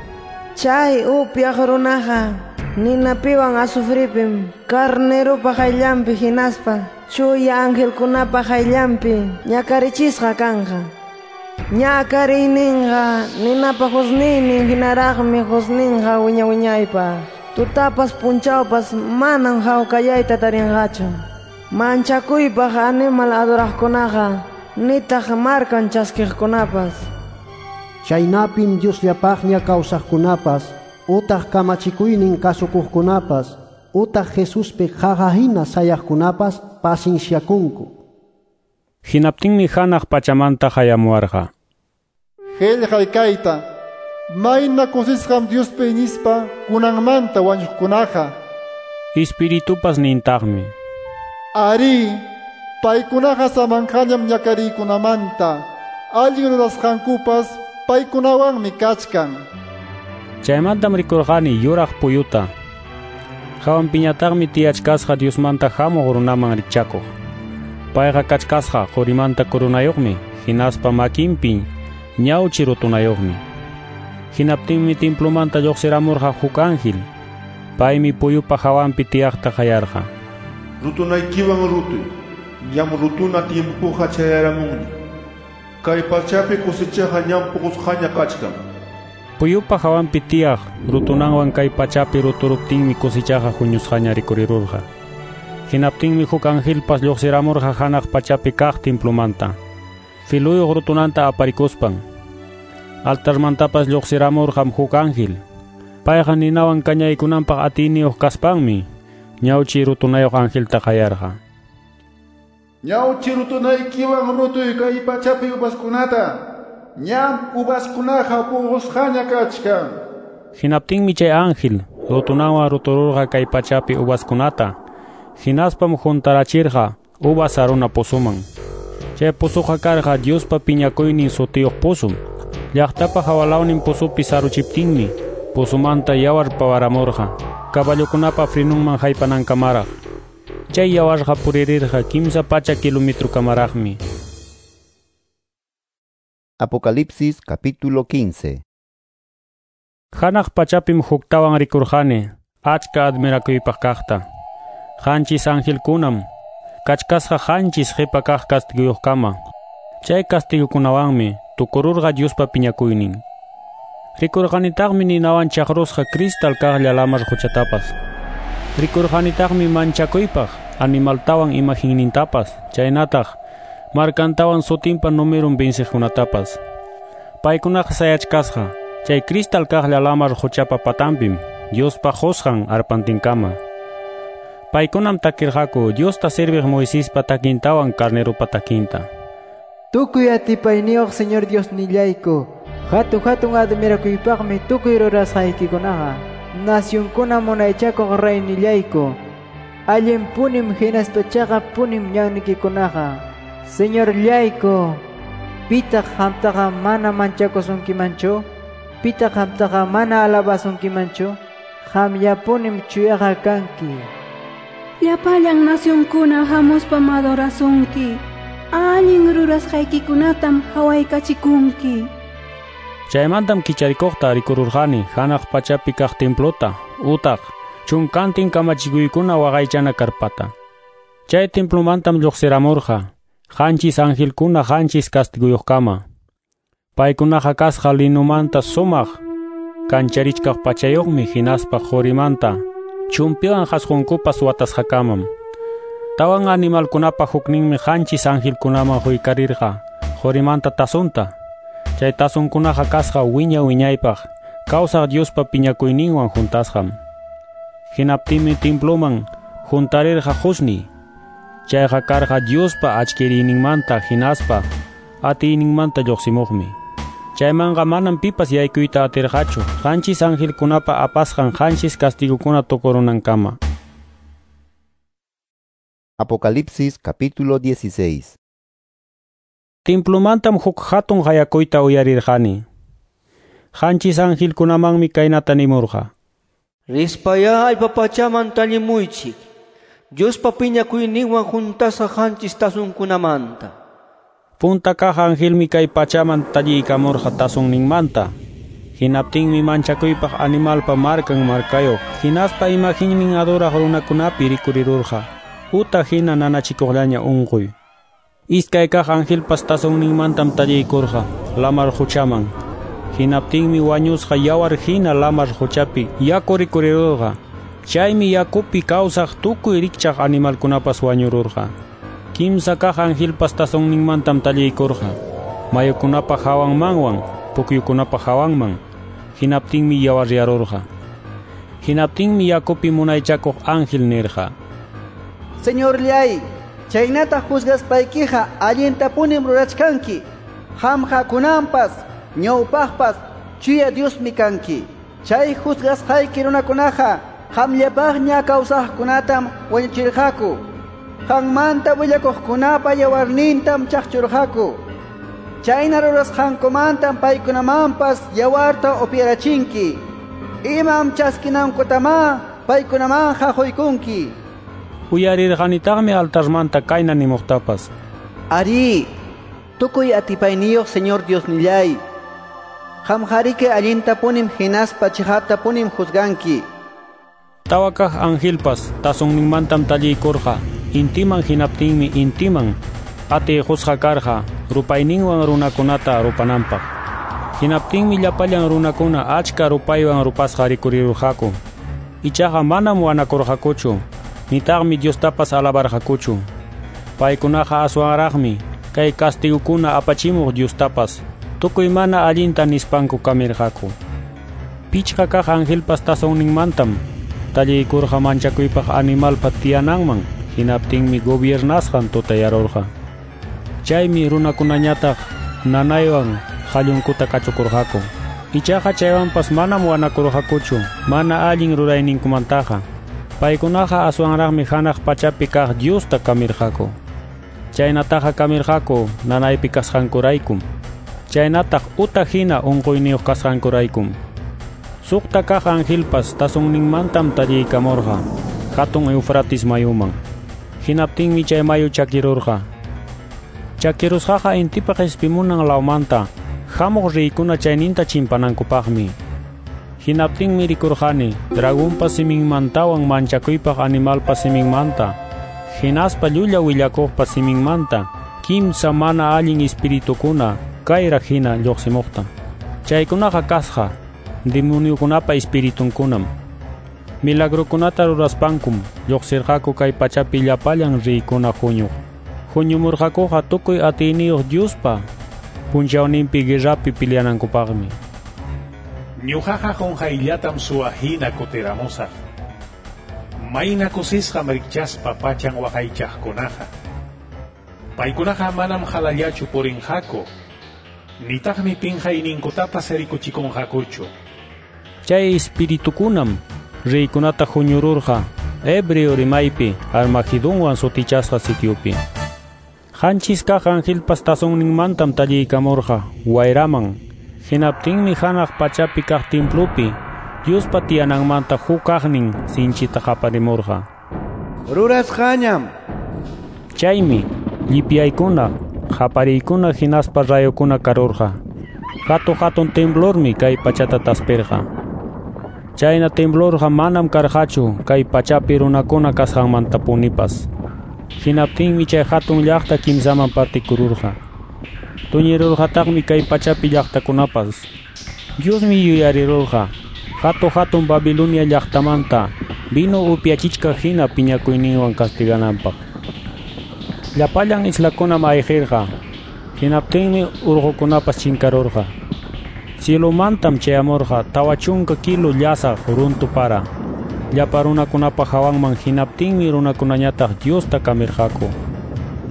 Chay upyaq runaqa ninapiwan azufripim carnerupa qayllanpi hinaspa chuya angelkunapa qayllanpi ñakarichisqa kanqa. Ñakariyninqa ninapa husniynin hinaraqmi husninqa wiña wiñaypaq. Tutapas punchawpas manam hawkayayta tarinqachu. Manchakuypaq animal adoraqkunaqa nitaq markan chaskiqkunapas.
Chaynapim Diosllapaqña kawsaqkunapas, utaq kamachikuynin kasukuqkunapas, utaq Jesuspi qaqa hina sayaqkunapas pasinsyakunku.
Hinaptinmi hanaq pachamanta hayamuwarqa:
Qillqay kayta, mayna kusisqam Diospi iñispa kunanmanta wañuqkunaqa.
Espiritupas nintaqmi:
Ari, paykunaqa samanqañam ñakariykunamanta, allin rurasqankupas paykunawanmi kachkan.
Chaymantam rikurqani yuraq puyuta. Hawanpiñataqmi tiyachkasqa Diosmanta hamuq runaman rikchakuq. Payqa kachkasqa qurimanta coronayuqmi, hinaspa makinpi ñawchi rutunayuqmi. Hinaptinmi templomanta lluqsiramurqa huk ángel. Paymi puyupa hawanpi tiyaqta qayarqa.
Rutunaykiwan rutuy, ñam rutuna tiempoqa chayaramunña. Kay pachapi cosechaqa ñam puqusqaña kachkan.
Puyupa hawanpi tiyaq rutunanwan kay pachapi ruturuptinmi cosechaqa huñusqaña rikurirurqa. Hinaptinmi huk angelpas lluqsiramurqa hanaq pachapi kaq templomanta. Filuyuq rutunanta aparikuspan. Altarmantapas lluqsiramurqam huk ángel. Payqa ninawan kañaykunanpaq atiyniyuq kaspanmi ñawchi rutunayuq angelta qayarqa.
Ñawchi rutunaykiwan rutuy kay pachapi uvaskunata. Ñam uvaskunaqa puqusqaña kachkan.
Hinaptinmi chay ángel rutunanwan rutururqa kay pachapi uvaskunata. Hinaspam juntarachirqa uvas saruna pozuman. Chay pozuqa karqa Diospa piñakuynin sutiyuq pozum. Llaqtapa hawalawnin pozupi saruchiptinmi pozumanta yawar pawaramurqa caballokunapa frenunman haypanankamaraq. Chay yawarqa puririrqa kimsa pacha kilometrokamaraqmi.
Apocalipsis capítulo quince.
Hanaq pachapim huktawan rikurqani achka admirakuypaq kaqta. Qanchis angelkunam kachkasqa qanchis qipa kaq castiguyuqkama. Chay castigukunawanmi tukururqa Diospa piñakuynin. Rikurqanitaqmi ninawan chaqrusqa cristal kaqlla lamar quchatapas. Rikurqanitaqmi manchakuypaq animaltawan imaginnintapas, chaynataq markantawan sutinpa numerun venciqkunatapas. Paykunaqa sayachkasqa chay cristal kaqlla lamar quchapa patanpim Diospa qusqan arpantinkama. Paykunam takirqaku Diosta serviq Moisespa takintawan carneropa takinta.
Tukuy atipayniyuq Señor Diosnillayku, hatun hatun admirakuypaqmi tukuy rurasqaykikunaqa. Nacionkuna munaychakuq reynillayku, allinpunim hinaspa chaqappunim ñannikikunaqa. Señorllayku, pitaq qamtaqa mana manchakusunkimanchu? Pitaq qamtaqa mana alabasunkimanchu? Qamllapunim chuyaqa kanki.
Llapallan nacionkuna hamuspam adorasunki. Allin rurasqaykikunatam hawaykachikunki.
Chaymantam kicharikuqta rikururqani hanaq pachapi kaq templota, utaq chunkantin kamachikuykuna waqaychana karpata. Chay templomantam lluqsiramurqa qanchis angelkuna qanchis castiguyuqkama. Paykunaqa kasqa linumanta sumaq kancharichkaq pachayuqmi hinaspa qurimanta chumpiwan qasqunkupas watasqakamam. Tawan animalkunapa hukninmi qanchis angelkunaman huykarirqa qurimanta tasunta. Chay tasunkunaqa kasqa wiña wiñaypaq kawsaq Diospa piñakuyninwan juntasqam. Hinaptinmi temploman juntarirqa qusni. Chayqa karqa Diospa achkiriyninmanta hinaspa atiyninmanta lluqsimuqmi. Chaymanqa manam pipas yaykuyta atirqachu qanchis angelkunapa apasqan qanchis castigokuna tukurunankama.
Apocalipsis capítulo dieciséis.
Templomantam huk hatun qayakuyta uyarirqani. Qanchis angelkunamanmi kaynata nimurqa.
Rispaya allpa pachaman tallimuychik, Diospa piñakuyninwan juntasqa qanchis tasunkunamanta.
Punta kaq angelmi kay pachaman talliykamurqa tasunninmanta. Hinaptinmi manchakuypaq animalpa markan markayuq, hinaspa imaginnin adoraq runakunapi rikurirurqa. Uta hina nanachikuqllaña unquy. Iskay kaq angelpas tasunninmantam talliykurqa lamar quchaman. Hinaptinmi wañusqa yawar hina lamar quchapi yaku rikurirurqa. Chaymi yakupi kawsaq tukuy rikchaq animalkunapas wañururqa. Kimsa kaq angelpas tasunninmantam talliykurqa mayukunapa hawanmanwan pukyukunapa hawanman. Hinaptinmi yawaryarurqa. Hinaptinmi yakupi munaychakuq ángel nirqa:
Señorllay, chaynata juzgaspaykiqa allintapunim rurachkanki. Qamqa kunanpas, ñawpaqpas chuya Diosmi kanki. Chay juzgasqayki runakunaqa qamllapaqña kawsaqkunatam wañuchirqaku. Qanmanta willakuqkunapa yawarnintam chaqchurqaku. Chayna rurasqankumantam paykunamanpas yawarta upyarachinki. Imam chaskinankutamá paykunamanqa quykunki.
Uyarirqanitaqmi altarmanta kayna nimuqtapas.
Ari, tukuy atipayniyuq Señor Diosnillay, Qamqariki allintapunim hinaspa chiqaptapunim juzganki.
Tawa kaq angelpas tazonninmantam talliykurqa intiman, hinaptinmi intiman atiyqusqa karqa rupayninwan runakunata rupananpaq. Hinaptinmi llapallan runakuna achka rupaywan rupasqa rikurirurqaku. Ichaqa manam wanakurqakuchu, nitaqmi Diostapas alabarqakuchu. Paykunaqa aswanraqmi kay kastigukuna apachimuq Diostapas tukuy mana allinta nispanku kamirqaku. Pichqa kaq angelpas tazonninmantam talliykurqa manchakuypaq animalpa tiyananman, hinaptinmi gobiernasqan tutayarurqa. Chaymi runakunañataq nanaywan qallunkuta kachukurqaku. Ichaqa chaywanpas manam wanakurqakuchu mana allin rurayninkumantaqa. Paykunaqa aswanraqmi hanaq pachapi kaq Diosta kamirqaku. Chaynataqa kamirqaku nanaypi kasqankuraykum, chaynataq uta hina unquyniyuq kasqankuraykum. Suqta kaq angelpas tazonninmantam talliykamurqa hatun Eufrates mayuman. Hinaptinmi chay mayu chakirurqa. Chakirusqaqa intipa qispimunan lawmanta hamuq riykuna chayninta chimpanankupaqmi. Hinaptinmi rikurqani dragonpa siminmantawan manchakuypaq animalpa siminmanta, hinaspa llulla willakuqpa siminmanta kimsa mana allin espiritukuna kayraq hina lluqsimuqta. Chaykunaqa kasqa demoniokunapa espiritunkunam. Milagrukunata ruraspankum lluqsirqaku kay pachapi llapallan riykuna huñuq. Huñumurqakuqa tukuy atiyniyuq Diospa punchawninpi guerrapi peleanankupaqmi.
Ñuqaqa qunqayllatam suwa hina kutiramusaq. Mayna kusisqam rikchaspa pachan waqaychaqkunaqa. Paykunaqa manam halallachu purinqaku, nitaqmi pinqayninkutapas rikuchikunqakuchu.
Chay espiritukunam reykunata huñururqa hebreo rimaypi Armagedonwan sutichasqa sitiopi. Qanchis kaq angelpas tazonninmantam talliykamurqa wayraman. Hinaptinmi hanaq pachapi kaq templopi Diospa tiyananmanta huk kaqnin sinchita qaparimurqa:
Rurasqañam.
Chaymi llipyaykuna, qapariykuna hinaspa rayokuna karurqa. Hatun hatun temblormi kay pachata taspirqa. Chayna temblorqa manam karqachu kay pachapi runakuna kasqanmantapunipas. Hinaptinmi chay hatun llaqta kimsaman partikururqa. Tuñirurqataqmi kay pachapi llaqtakunapas. Diosmi yuyarirurqa hatun hatun Babilonia llaqtamanta vino upyachichkaq hina piñakuyninwan castigananpaq. Llapallan islakunam ayqirqa. Hinaptinmi urqukunapas chinkarurqa. Cielomantam chayamurqa tawa chunka kilo llasaq runtu para llapa runakunapa hawanman. Hinaptinmi runakunañataq Diosta kamirqaku.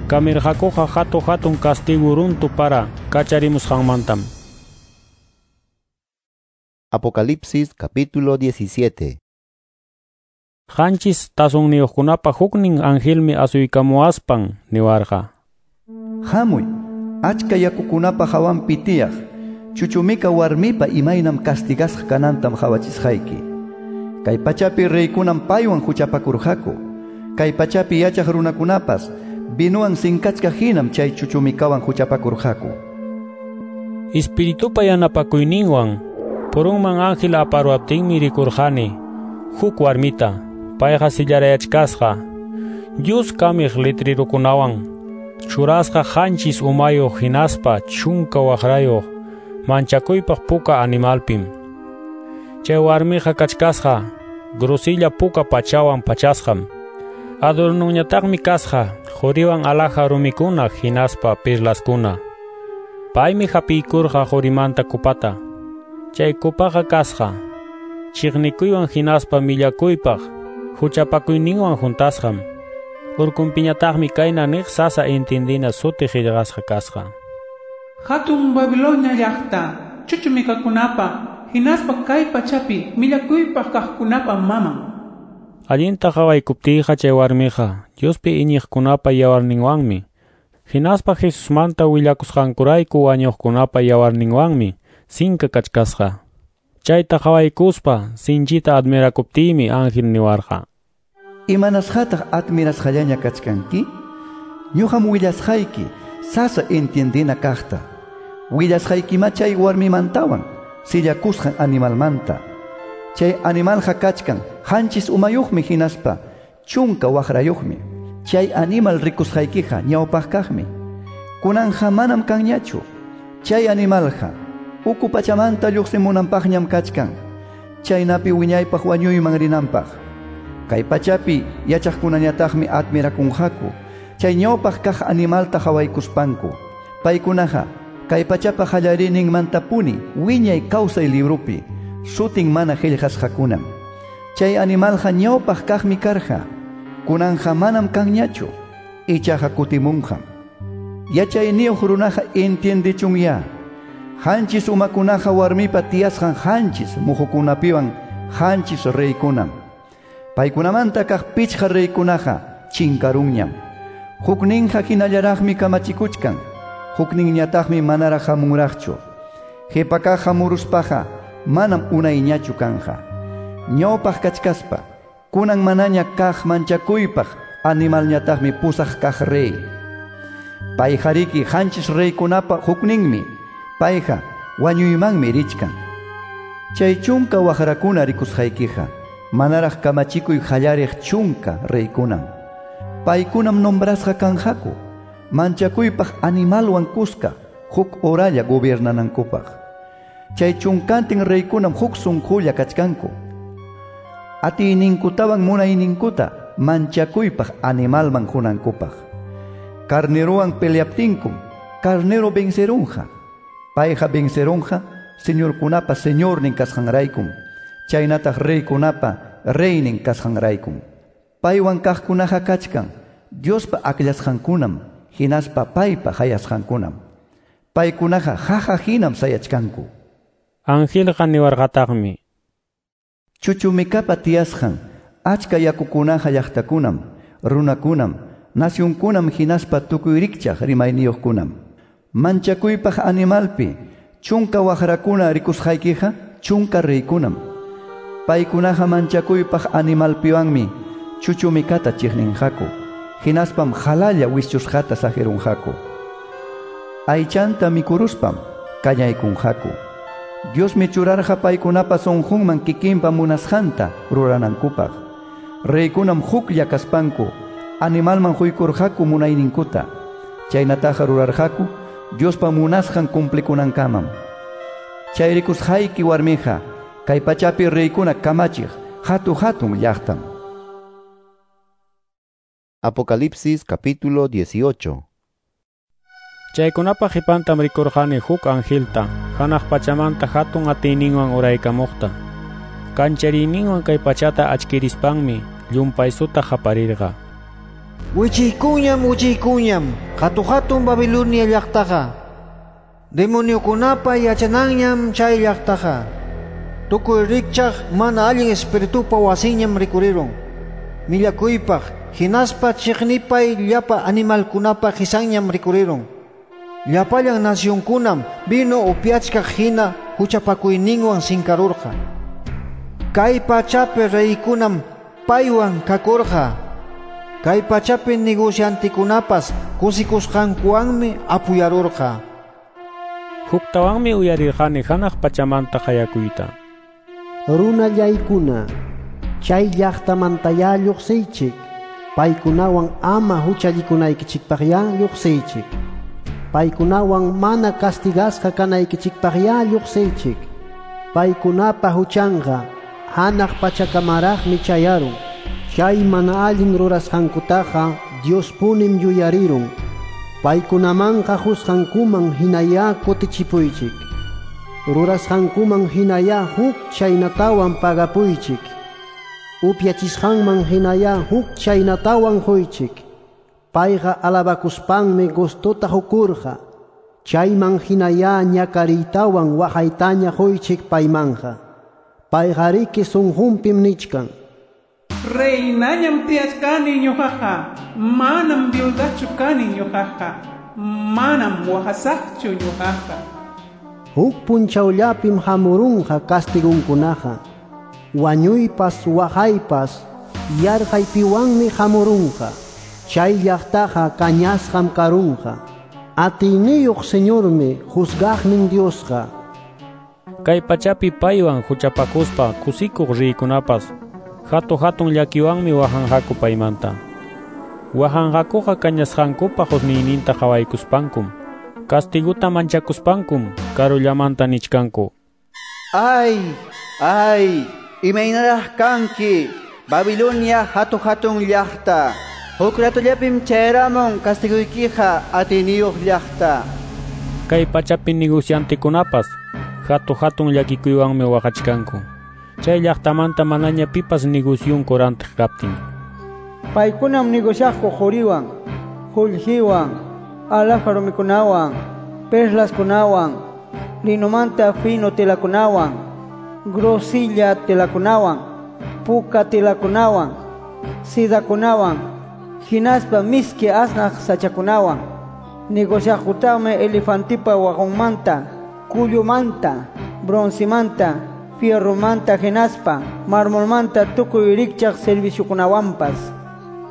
Kamirqakuqa hatun hatun castigo runtu para kacharimusqanmantam.
Apocalipsis capítulo diecisiete.
Qanchis tazonniyuqkunapa huknin angelmi asuykamuwaspan niwarqa:
Hamuy, achka yakukunapa hawanpi tiyaq chuchumika warmipa imaynam castigasqa kanantam qawachisqayki. Kay pachapi reykunam paywan huchapakurqaku. Kay pachapi yachaq runakunapas vinuwan sinkachka hinam chay chuchumikawan huchapakurqaku.
Espiritupa yanapakuyninwan purunman ángel aparuaptinmi rikurqani huk warmita. Payqa sillarayachkasqa Dios kamiq letrirukunawan churasqa qanchis umayuq hinaspa chunka waqrayuq manchakuypaq puka animalpim. Chay warmiqa kachkasqa grosilla puka pachawan pachasqam. Adornunñataqmi kasqa quriwan alhaja rumikuna hinaspa perlaskuna. Paymi hapiykurqa qurimanta kupata. Chay kupaqa kasqa chiqnikuywan hinaspa millakuypaq huchapakuyninwan juntasqam. Urkunpiñataqmi kayna niq sasa intindina suti qillqasqa kasqa:
Hatun Babilonia llaqta, chuchumikakunapa hinaspa kay pachapi millakuypaq kaqkunapa maman.
Allinta qawaykuptiyqa chay warmiqa Diospi iñiqkunapa yawarninwanmi, hinaspa Jesusmanta willakusqankurayku wañuqkunapa yawarninwanmi sinka kachkasqa. Chayta qawaykuspa sinchita admirakuptiymi ángel niwarqa:
Imanasqataq admirasqallaña kachkanki? Ñuqam willasqayki sasa entiendina kaqta. Willasqaykima chay warmimantawan, sillakusqan animalmanta. Chay animalqa kachkan qanchis umayuqmi hinaspa chunka waqrayuqmi. Chay animal rikusqaykiqa ñawpaq kaqmi. Kunanja manam kanñachu. Chay animalqa uku pachamanta lluqsimunanpaqñam kachkan. Chaynapi wiñaypaq wañuyman rinanpaq. Kay pachapi yachaqkunañataqmi admirakunqaku. Chay ñawpaq kaq animalta qhawaykuspanku. Paykunaqa kay pachapa qallariyninmantapuni wiñay kawsay librupi sutin mana qillqasqakunam. Chay animalqa ñawpaq kaqmi karqa. Kunanja manam kanñachu. Ichaqa kutimunqam. Yachayniyuq runaqa entiendechunya. Qanchis umakunaqa warmipa tiyasqan qanchis muhukunapiwan qanchis reykunam. Paykunamanta kaq pichqa reykunaqa chinkarunñam. Hukninqa hinallaraqmi kamachikuchkan. Hukninñataqmi manaraq hamunraqchu. Qhipa hamuruspaqa manam unayñachu kanja. Ñawpaq kachkaspa kunan manaña kaq manchakuypaq animalñataqmi pusaq kaq rey. Payqariki qanchis reykunapa hukninmi. Payqa wañuymanmi richkan. Chay chunka waqrakuna rikusqaykiqa manaraq kamachikuy qallariq chunka reykunam. Paykunam nombrasqa kanqaku manchakuypaq animalwan kuska huk horalla gobiernanankupaq. Chay chunkantin reykunam huk sunqulla kachkanku. Atiyninkutawan munayninkuta manchakuypaq animalman qunankupaq. Carnerowan peleaptinkum carnero vencerunqa. Payqa vencerunqa señorkunapa señornin kasqanraykum. Chaynataq reykunapa reynin kasqanraykum. Paywan kaqkunaqa kachkan Diospa akllasqankunam hinaspa paypa hayasqankunam. Paykunaqa qaqa hinam sayachkanku.
Angelqa niwarqataqmi.
Chuchumikapa tiyasqan achka yakukunaqa llaqtakunam, runakunam, nacionkunam hinaspa tukuy rikchaq rimayniyuqkunam. Manchakuypaq animalpi chunka waqrakuna rikusqaykiqa chunka reykunam. Paykunaqa manchakuypaq animalpiwanmi chuchumikata chiqninqaku. Hinaspam qalalla wischusqata saqirunqaku. Aychanta mikuruspam kañaykunqaku. Diosmi churarqa paykunapa sunqunman kikinpa munasqanta ruranankupaq. Reykunam huklla kaspanku animalman huykurqaku munayninkuta. Chaynataqa rurarqaku Diospa munasqan cumplikunankamam. Chay rikusqayki warmiqa kay pachapi reykuna kamachiq hatu hatun llaqtam.
Apocalipsis capítulo dieciocho.
Chaykunapa qipantam rikurqani huk angelta hanaq pachamanta hatun atiyninwan uraykamuqta. Kanchariyninwan kay pachata achkirispanmi llumpaysuta qaparirqa.
Wichiykuñam, wichiykuñam, hatu-hatun Babilonia llaqtaqa. Demoniokunapa yachananñam chay llaqtaqa. Tukuy rikchaq mana allin espiritupa wasinñam rikurirun. Millakuypaq hinaspa chiqnipay llapa animalkunapa qisanñam rikurirun. Llapallan nacionkunam vino upiachkaq hina huchapakuyninwan sinkarurqa. Kay pachapi reykunam paywan kakurqa. Kay pachapi negociantikunapas kusikusqankuwanmi apuyarurqa.
Huktawanmi uyarirqani hanaq pachamanta qayakuyta.
Runallaykuna, chay llaqtamantayá lluqsiychik. Paykunawan ama huchallikunaykichikpaqyá lluqsiychik. Paykunawan mana castigasqa kanaykichikpaqyá lluqsiychik. Paykunapa huchanqa hanaq pachakamaraqmi chayarun. Chay mana allin rurasqankutaqa Diospunim yuyarirun. Paykunamanqa husqankuman hinayá kutichipuychik. Rurasqankuman hinayá huk chaynatawan pagapuychik. Upyachisqanman hinayá huk chaynatawan huychik. Payqa alabakuspanmi gustota hukurqa. Chayman hinayá ñakariytawan waqaytaña huychik paymanja. Payqariki sunqunpim nichkan.
Reinañam tiyachkani ñuqaqa, manam viudachu kani ñuqaqa, manam waqasaqchu ñuqaqa.
Huk punchawllapim hamurunqa castigunkunaqa. Wañuypas waqaypas yarqaypiwanmi hamurunqa. Chay llaqtaqa kañasqam karunqa. Atiyniyuq Señormi juzgaqnin Diosqa.
Kay pachapi paywan huchapakuspa kusikuq riykunapas hatu-hatun llakiwanmi wahanqaku paymanta. Wahanqakuqa kañasqankupa husniyninta qawaykuspankum, kastiguta manchakuspankum karullamanta nichkanku.
Ay, ay, imaynaraq kanki, Babilonia hatu-hatun llaqta. Huk ratullapim chayaramun kastiguykiqa atiniyuq llaqta.
Kay pachapi negociantekunapas hatu-hatun llakikuywanmi waqachkanku. Chay llaqtamanta manaña pipas negosyunku rantiq kaptin.
Paykunam negociaqku quriwan, qullqiwan, alhaja rumikunawan, perlaskunawan, linomanta fino telakunawan, grosilla telakunawan, puka telakunawan, sidakunawan, hinaspa miski asnaq sachakunawan. Negociaqkutaqmi elefantipa waqunmanta, kullumanta, broncemanta, fierromanta hinaspa marmolmanta tukuy rikchaq serviciokunawanpas.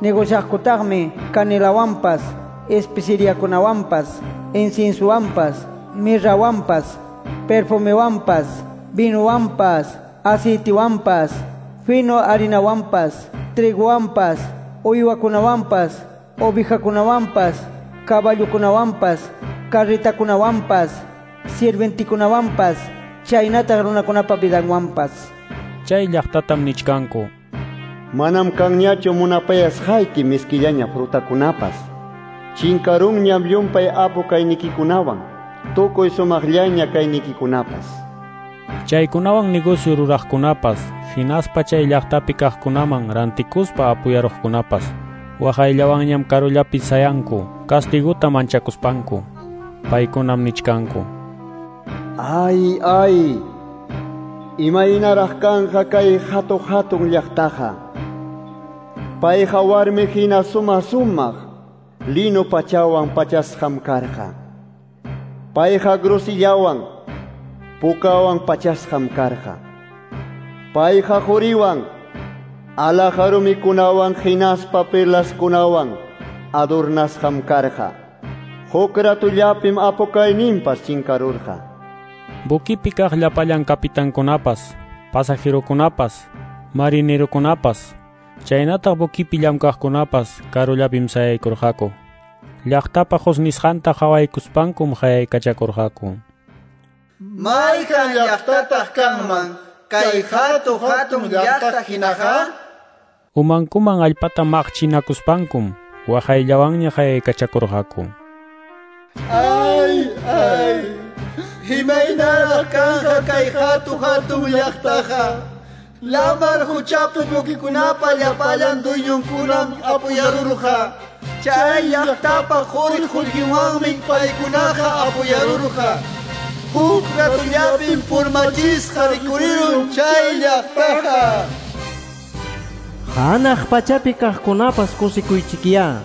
Negociaqkutaqmi canelawanpas, especeriakunawanpas, inciensowanpas, mirrawanpas, perfumewanpas, vinowanpas, aceitewanpas, fino harinawanpas, trigowanpas, uywakunawanpas, ovejakunawanpas, caballokunawanpas, carretakunawanpas, sirventikunawanpas, chaynataq runakunapa vidanwanpas.
Chay llaqtatam nichkanku.
Manam kanñachu munapayasqayki miskillaña frutakunapas. Chinkarunñam llumpay apu kaynikikunawan, tukuy sumaqllaña kaynikikunapas.
Chaykunawan negocio ruraqkunapas, hinaspa chay llaqtapi kaqkunaman rantikuspa apuyaruqkunapas, waqayllawanñam karullapi sayanku, kastiguta manchakuspanku. Paykunam nichkanku.
Ay, ay, imaynaraq kanqa kay hatu-hatun llaqtaqa. Payqa warmi hina suma-sumaq, lino pachawan pachasqam karqa. Payqa grosillawan, pukawan pachasqam karqa. Payqa quriwan, alhaja rumikunawan hinaspa perlaskunawan adornasqam karqa. Huk ratullapim apukayninpas chinkarurqa.
Buquipi kaq llapallan kapitankunapas, pasajerokunapas, marinerokunapas, chaynataq buquipi llamkaqkunapas karullapim sayaykurqaku. Llaqtapa husnisqanta qawaykuspankum qayaykachakurqaku.
Mayqan llaqtataq kanman kay hatu-hatun llaqta hinaqa?
Umankuman allpata maqchinakuspankum waqayllawanña qayaykachakurqaku.
Ay, ay, imaynaraq kanqa kay hatu-hatun llaqtaqa. Lamar huchapi buquikunapa llapallan dueñonkunam apuyarurqa. Chay llaqtapa quri qullqiwanmi paykunaqa apuyarurqa. Huk ratullapim purmachisqa rikurirun chay llaqtaqa.
Hanaq pachapi kaqkunapas kusikuychikyá.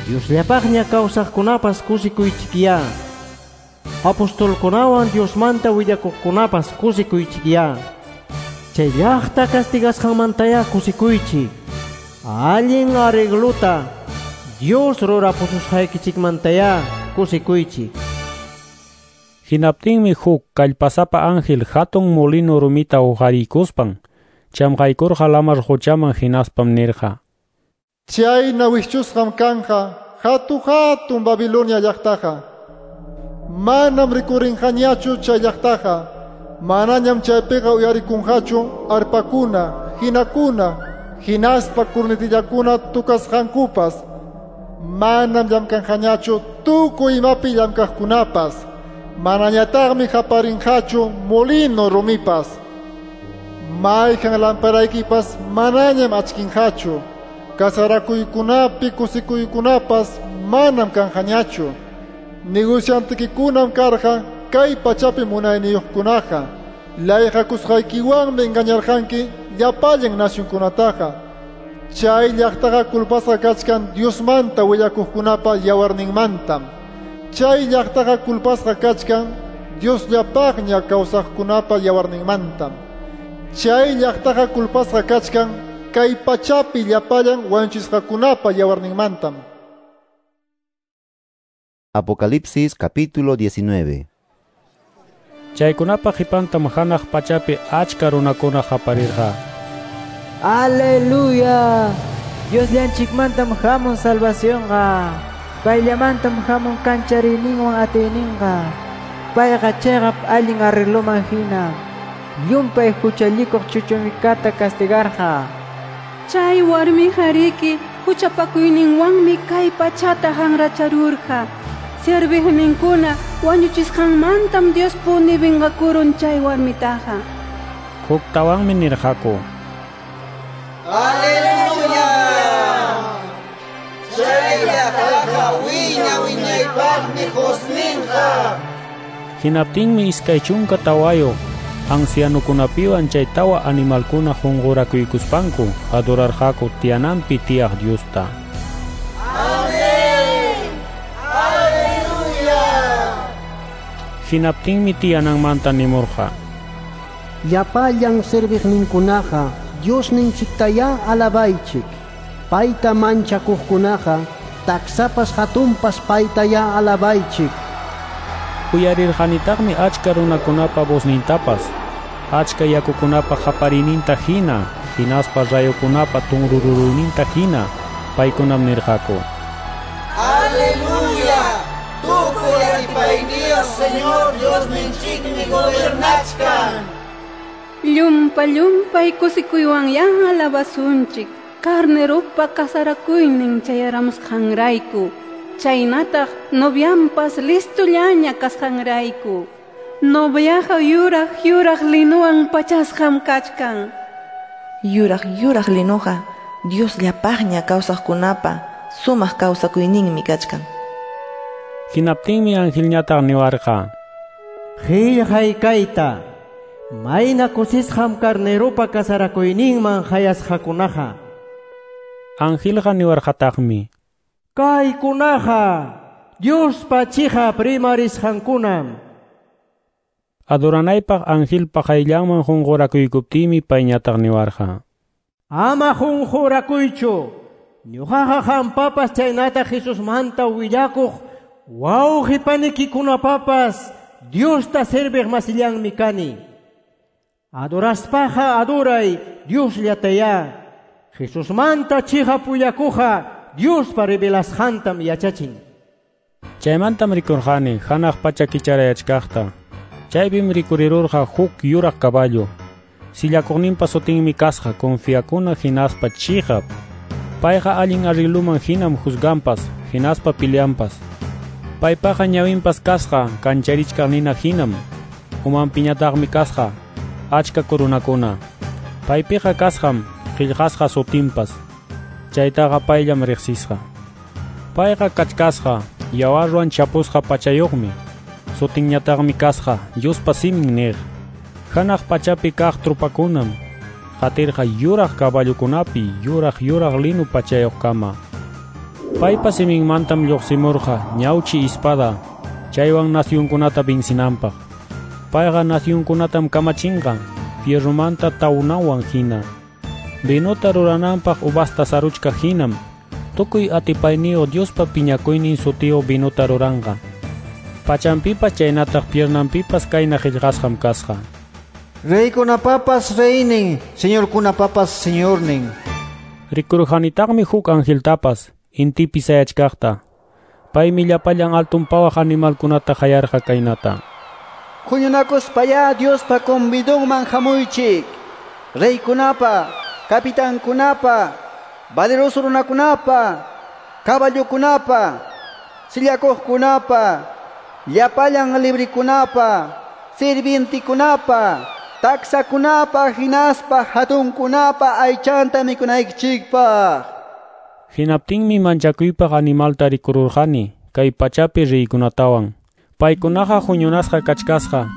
Diosllapaqña kawsaqkunapas kusikuychikyá. Apostolkunawan Diosmanta willakuqkunapas kusikuychikyá. Chay llaqta castigasqanmantaya kusikuychik. Allin arregluta Dios rurapususqaykichikmantaya kusikuychik.
Hinaptinmi huk kallpasapa ángel hatun molino rumita uqariykuspan chamqaykurqa lamar quchaman hinaspam nirqa.
Chayna wischusqam kanqa hatu-hatun Babilonia llaqtaqa. Manam rikurinqañachu chay llaqtaqa. Manañam chaypiqa uyarikunqachu arpakuna, hinakuna, hinaspa kurnitillakuna tukasqankupas. Manam llamkanqañachu tukuy imapi llamkaqkunapas. Manañataqmi haparinqachu molino rumipas. Mayqan lamparaykipas manañam achkinqachu. Kasarakuykunapi kusikuykunapas manam kanqañachu. Negociantikikunam karqa kay pachapi munayniyuqkunaqa. Layqakusqaykiwanmi engañarqanki llapallan nacionkunataqa. Chay llaqtaqa culpasqa kachkan Diosmanta willakuqkunapa yawarninmantam. Chay llaqtaqa culpasqa kachkan Diosllapaqña kawsaqkunapa yawarninmantam. Chay llaqtaqa culpasqa kachkan kay pachapi llapallan wañuchisqakunapa yawarninmantam.
Apocalipsis capítulo diecinueve.
Chaykunapa qipantam hanaq pachapi achka runakuna qaparirqa.
Aleluya! Diosllanchikmantam hamun salvacionqa. Payllamantam hamun kanchariyninwan atiyninqa. Payqa chiqap allin arregloman hina llumpay huchallikuq chuchumikata castigarqa.
Chay warmiqa riki huchapakuyninwanmi kay pachata hanracharurqa. Serviqninkuna wañuchisqanmantam Diospuni vengakurun chay warmitaqa.
Huktawanmi nirqaku:
Aleluya! Chay llaqtaqa wiña wiñaypaqmi husninqa.
Hinaptinmi iskay chunka tawayuq ancianukunapiwan chay tawa animalkuna qunqurakuykuspanku adorarqaku tiyananpi tiyaq Diosta.
Amén! Aleluya!
Hinaptinmi tiyananmanta nimurqa:
Llapallan serviqninkunaqa Diosninchiktayá alabaychik. Payta manchakuqkunaqa taksapas hatunpas paytayá alabaychik.
Uyarirqanitaqmi achka runakunapa voznintapas, achka yakukunapa qaparininta hina, hinaspa rayukunapa tunrururuyninta hina. Paykunam nirqaku:
Aleluya! Tukuy atipayniyuq Señor Diosninchikmi gobernachkan.
Llumpa llumpay kusikuywanyá alabasunchik carneropa kasarakuynin chayaramusqanrayku. Chaynataq novianpas listollaña kasqanrayku. Noviaqa yuraq yuraq linuwan pachasqam kachkan.
Yuraq yuraq linuqa Diosllapaqña kawsaqkunapa sumaq kawsakuyninmi kachkan.
Hinaptinmi angelñataq niwarqa:
Qillqay kayta, mayna kusisqam carneropa kasarakuyninman hayasqakunaqa.
Angelqa niwarqataqmi:
Kaykunaqa Diospa chiqap rimarisqankunam.
Adoranaypaq angelpa qayllanman qunqurakuykuptiymi payñataq niwarqa:
Ama qunqurakuychu, ñuqaqa qampapas chaynataq Jesusmanta willakuq wawqi panikikunapapas Diosta serviq masillanmi kani. Adoraspaqa adoray Diosllatayá. Jesusmanta chiqap willakuqqa Diospa revelasqantam yachachin.
Chaymantam rikurqani hanaq pacha kicharayachkaqta. Chaypim rikurirurqa huk yuraq caballo. Sillakuqninpa sutinmi kasqa confiakuna hinaspa chiqap. Payqa allin arregloman hinam juzganpas, hinaspa peleanpas. Paypaqa ñawinpas kasqa kancharichkaq nina hinam. Umanpiñataqmi kasqa achka corunakuna. Paypiqa kasqam qillqasqa sutinpas. Chaytaqa payllam riqsisqa. Payqa kachkasqa yawarwan chapusqa pachayuqmi. Sutinñataqmi kasqa Diospa simin niq. Hanaq pachapi kaq trupakunam qatirqa yuraq caballokunapi yuraq yuraq linu pachayuqkama. Paypa siminmantam lluqsimurqa ñawchi espada, chaywan nacionkunata vencinanpaq. Payqa nacionkunatam kamachinqa fierromanta tawnawan hina. Vinota rurananpaq uvasta saruchka hinam, tukuy atipayniyuq Diospa piñakuynin sutiyuq vinota ruranqa. Pachanpipas chaynataq piernanpipas kayna qillqasqam kasqa:
Reykunapapas reynin, señorkunapapas señornin.
Rikurqanitaqmi huk angeltapas intipi sayachkaqta. Paymi llapallan altun pawaq animalkunata hayarqa kaynata:
Huñunakuspayá Diospa convidonman hamuychik. Reykunapa, capitankunapa, valeroso runakunapa, caballokunapa, sillakuqkunapa, llapallan librikunapa, sirvientikunapa, taksakunapa hinaspa hatunkunapa aychanta mikunaykichikpaq.
Hinaptinmi manchakuypaq animalta rikururqani kay pachapi riykunatawan. Paykunaqa huñunasqa kachkasqa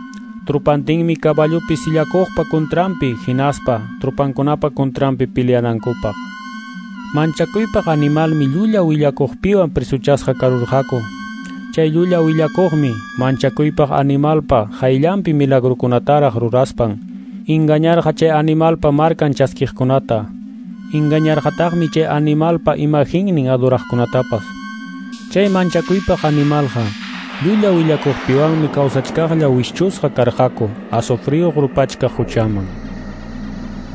trupantinmi caballopi sillakuqpa contranpi hinaspa trupankunapa contranpi peleanankupaq. Manchakuypaq animalmi llulla willakuqpiwan presuchasqa karurqaku. Chay llulla willakuqmi manchakuypaq animalpa qayllanpi milagrukunataraq ruraspan engañarqa chay animalpa markan chaskiqkunata. Engañarqataqmi chay animalpa imaginnin adoraqkunatapas. Chay manchakuypaq animalqa Llulla willakuqpiwanmi kawsachkaqlla wischusqa karqaku azufriyuq rupachkaq huchaman.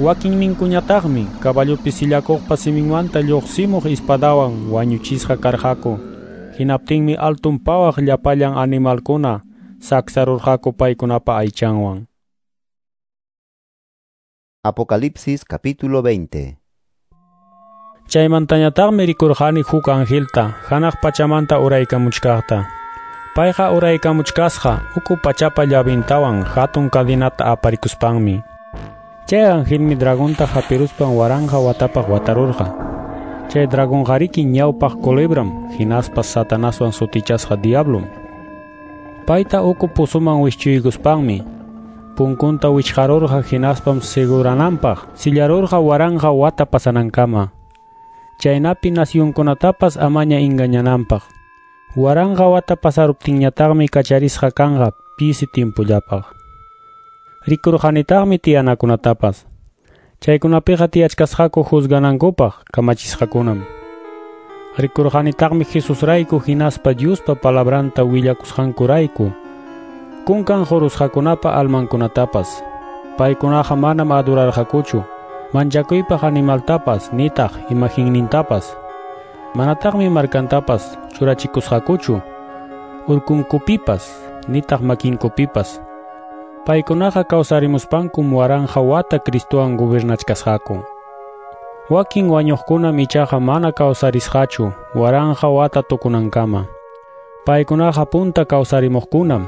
Wakinninkuñataqmi caballopi sillakuqpa siminmanta lluqsimuq espadawan wañuchisqa karqaku. Hinaptinmi altun pawaq llapallan animalkuna saksarurqaku paykunapa aychanwan.
Apocalipsis capítulo veinte.
Chaymantañataqmi rikurqani huk angelta hanaq pachamanta uraykamuchkaqta. Payqa uraykamuchkasqa uku pachapa llavintawan hatun cadinata aparikuspanmi. Chay angelmi dragonta hapiruspan waranqa watapaq watarurqa. Chay dragonqariki ñawpaq culebram hinaspa Satanaswan sutichasqa diablom. Payta uku pozoman wischuykuspanmi punkunta wichqarurqa hinaspam segurananpaq sillarurqa waranqa wata pasanankama. Chaynapi nacionkunatapas amaña engañananpaq. Waranqa wata pasaruptinñataqmi kacharisqa kanqa pisi tiempollapaq. Rikurqanitaqmi tiyanakunatapas. Chaykunapiqa tiyachkasqaku juzganankupaq kamachisqakunam. Rikurqanitaqmi Jesusrayku hinaspa Diospa palabranta willakusqankurayku kunkan qurusqakunapa almankunatapas. Paykunaqa manam adorarqakuchu manchakuypaq animaltapas nitaq imaginnintapas. Manataqmi markantapas churachikusqakuchu urkunkupipas nitaq makinkupipas. Paykunaqa kawsarimuspankum waranqa wata Cristowan gobernachkasqaku. Wakin wañuqkunam ichaqa mana kawsarisqachu waranqa wata tukunankama. Paykunaqa punta kawsarimuqkunam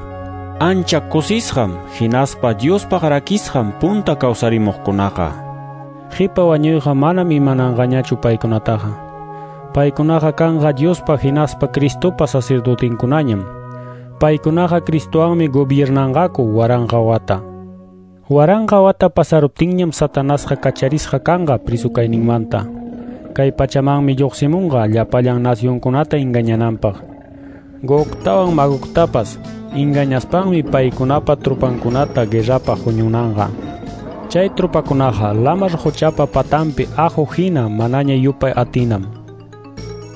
ancha kusisqam hinaspa Diospaq rakisqam punta kawsarimuqkunaqa. Qipa wañuyqa manam imananqañachu paykunataqa. Paykunaqa kanqa Diospa hinaspa Cristopa sacerdotinkunañam. Paykunaqa Cristowanmi gobiernanqaku waranqa wata. Waranqa wata pasaruptinñam Satanasqa kacharisqa kanqa prisu kayninmanta. Kay pachamanmi lluqsimunqa llapallan nacionkunata engañananpaq. Gogtawan Magogtapas engañaspanmi paykunapa trupankunata guerrapaq huñunanqa. Chay trupakunaqa lamar quchapa patanpi aqhu hina manaña yupay atinam.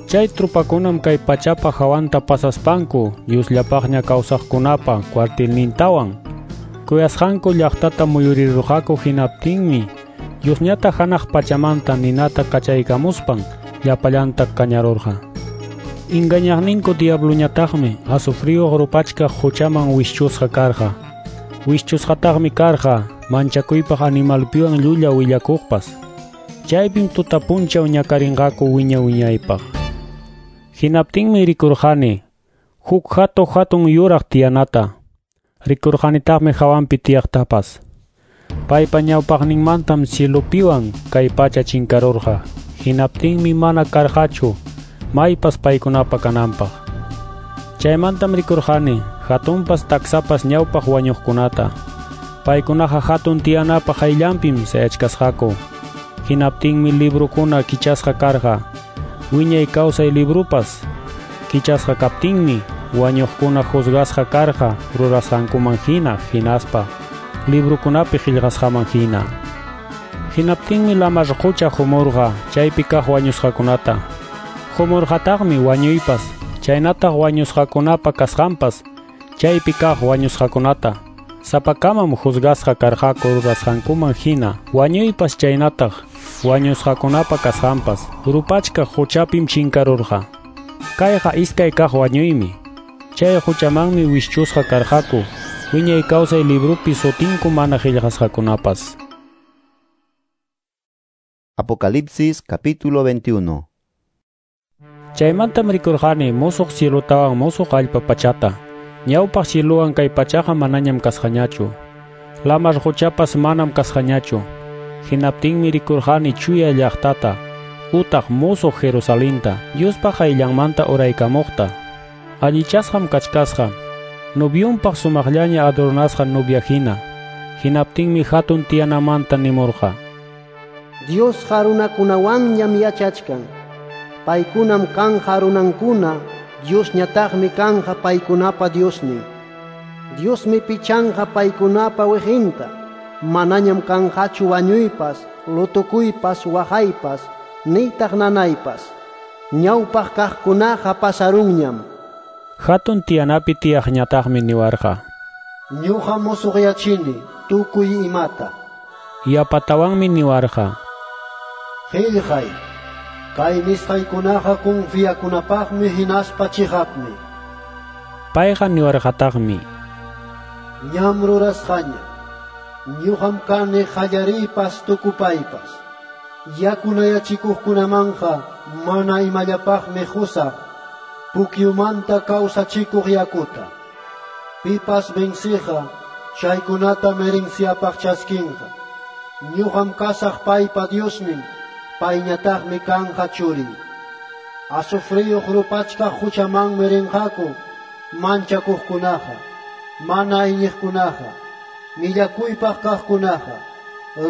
Chay trupakunam kay pachapa hawanta pasaspanku Diosllapaqña kawsaqkunapa cuartelnintawan kuyasqanku llaqtata muyurirurqaku. Hinaptinmi Diosñata hanaq pachamanta ninata kachaykamuspan llapallanta kañarurqa. Engañaqninku diabloñataqmi azufriyuq rupachkaq huchaman wischusqa karqa. Wischusqataqmi karqa manchakuypaq animalpiwan llulla willakuqpas. Chaypim tuta punchaw ñakarinqaku wiña wiñaypaq. Hinaptinmi rikurqani huk hatu hatun yuraq tiyanata. Rikurqanitaqmi hawanpi tiyaqtapas. Paypa ñawpaqninmantam cielopiwan kay pacha chinkarurqa. Hinaptinmi mana karqachu maypas paykunapa kananpaq. Chaymantam rikurqani hatunpas taksapas ñawpaq wañuqkunata. Paykunaqa hatun tiyanapa qayllanpim sayachkasqaku. Hinaptinmi librukuna kichasqa karqa. Wiñay kawsay librupas kichasqa kaptinmi wañuqkuna juzgasqa karqa rurasqankuman hina hinaspa librukunapi qillqasqaman hina. Hinaptinmi lamar qucha humurqa chaypi kaq wañusqakunata. Humurqataqmi wañuypas chaynataq wañusqakunapa kasqanpas chaypi kaq wañusqakunata. Sapakamam juzgasqa karqaku rurasqankuman hina wañuypas chaynataq wañusqakunapa kasqanpas rupachkaq huchapim chinkarurqa. Kayqa iskay kaq wañuymi. Chay huchamanmi wischusqa karqaku wiñay kawsay librupi sutinku mana qillqasqakunapas.
Apocalipsis capítulo veintiuno.
Chaymantam rikurqani musuq cielotawan musuq allpa pachata. Ñawpaq cielowan kay pachaqa manañam kasqañachu. Lamar quchapas manam kasqañachu. Hinaptinmi rikurqani chuya llaqtata utaq musuq Jerusalenta Diospa qayllanmanta uraykamuqta. Allichasqam kachkasqa noviunpaq sumaqllaña adornasqa novia hina. Hinaptinmi hatun tiyanamanta nimurqa:
Diosqa runakunawanñam yachachkan. Paykunam kanja runankuna, Diosñataqmi kanja paykunapa Diosnin. Diosmi pichanqa paykunapa wiqinta. Manañam kanqachu wañuypas, lutukuypas, waqaypas, nitaq nanaypas. Ñawpaq kaqkunaqa pasarunñam.
Hatun tiyanapi tiyaqñataqmi niwarqa:
Ñuqa musuqyachini tukuy imata.
Yapatawanmi niwarqa:
Qillqay, kay nisqaykunaqa confiakunapaqmi hinaspa chiqapmi.
Payqa niwarqataqmi:
Ñam rurasqaña. Ñuqam kani qallariypas tukupaypas. Yakunayachikuqkunamanqa mana imallapaqmi qusaq pukyumanta kawsachikuq yakuta. Pipas venciqa chaykunata herenciapaq chaskinqa. Ñuqam kasaq paypa Diosnin, payñataqmi kanqa churin. Azufriyuq rupachkaq huchamanmi rinqaku manchakuqkunaqa, mana iñiqkunaqa, millakuypaq kaqkunaqa,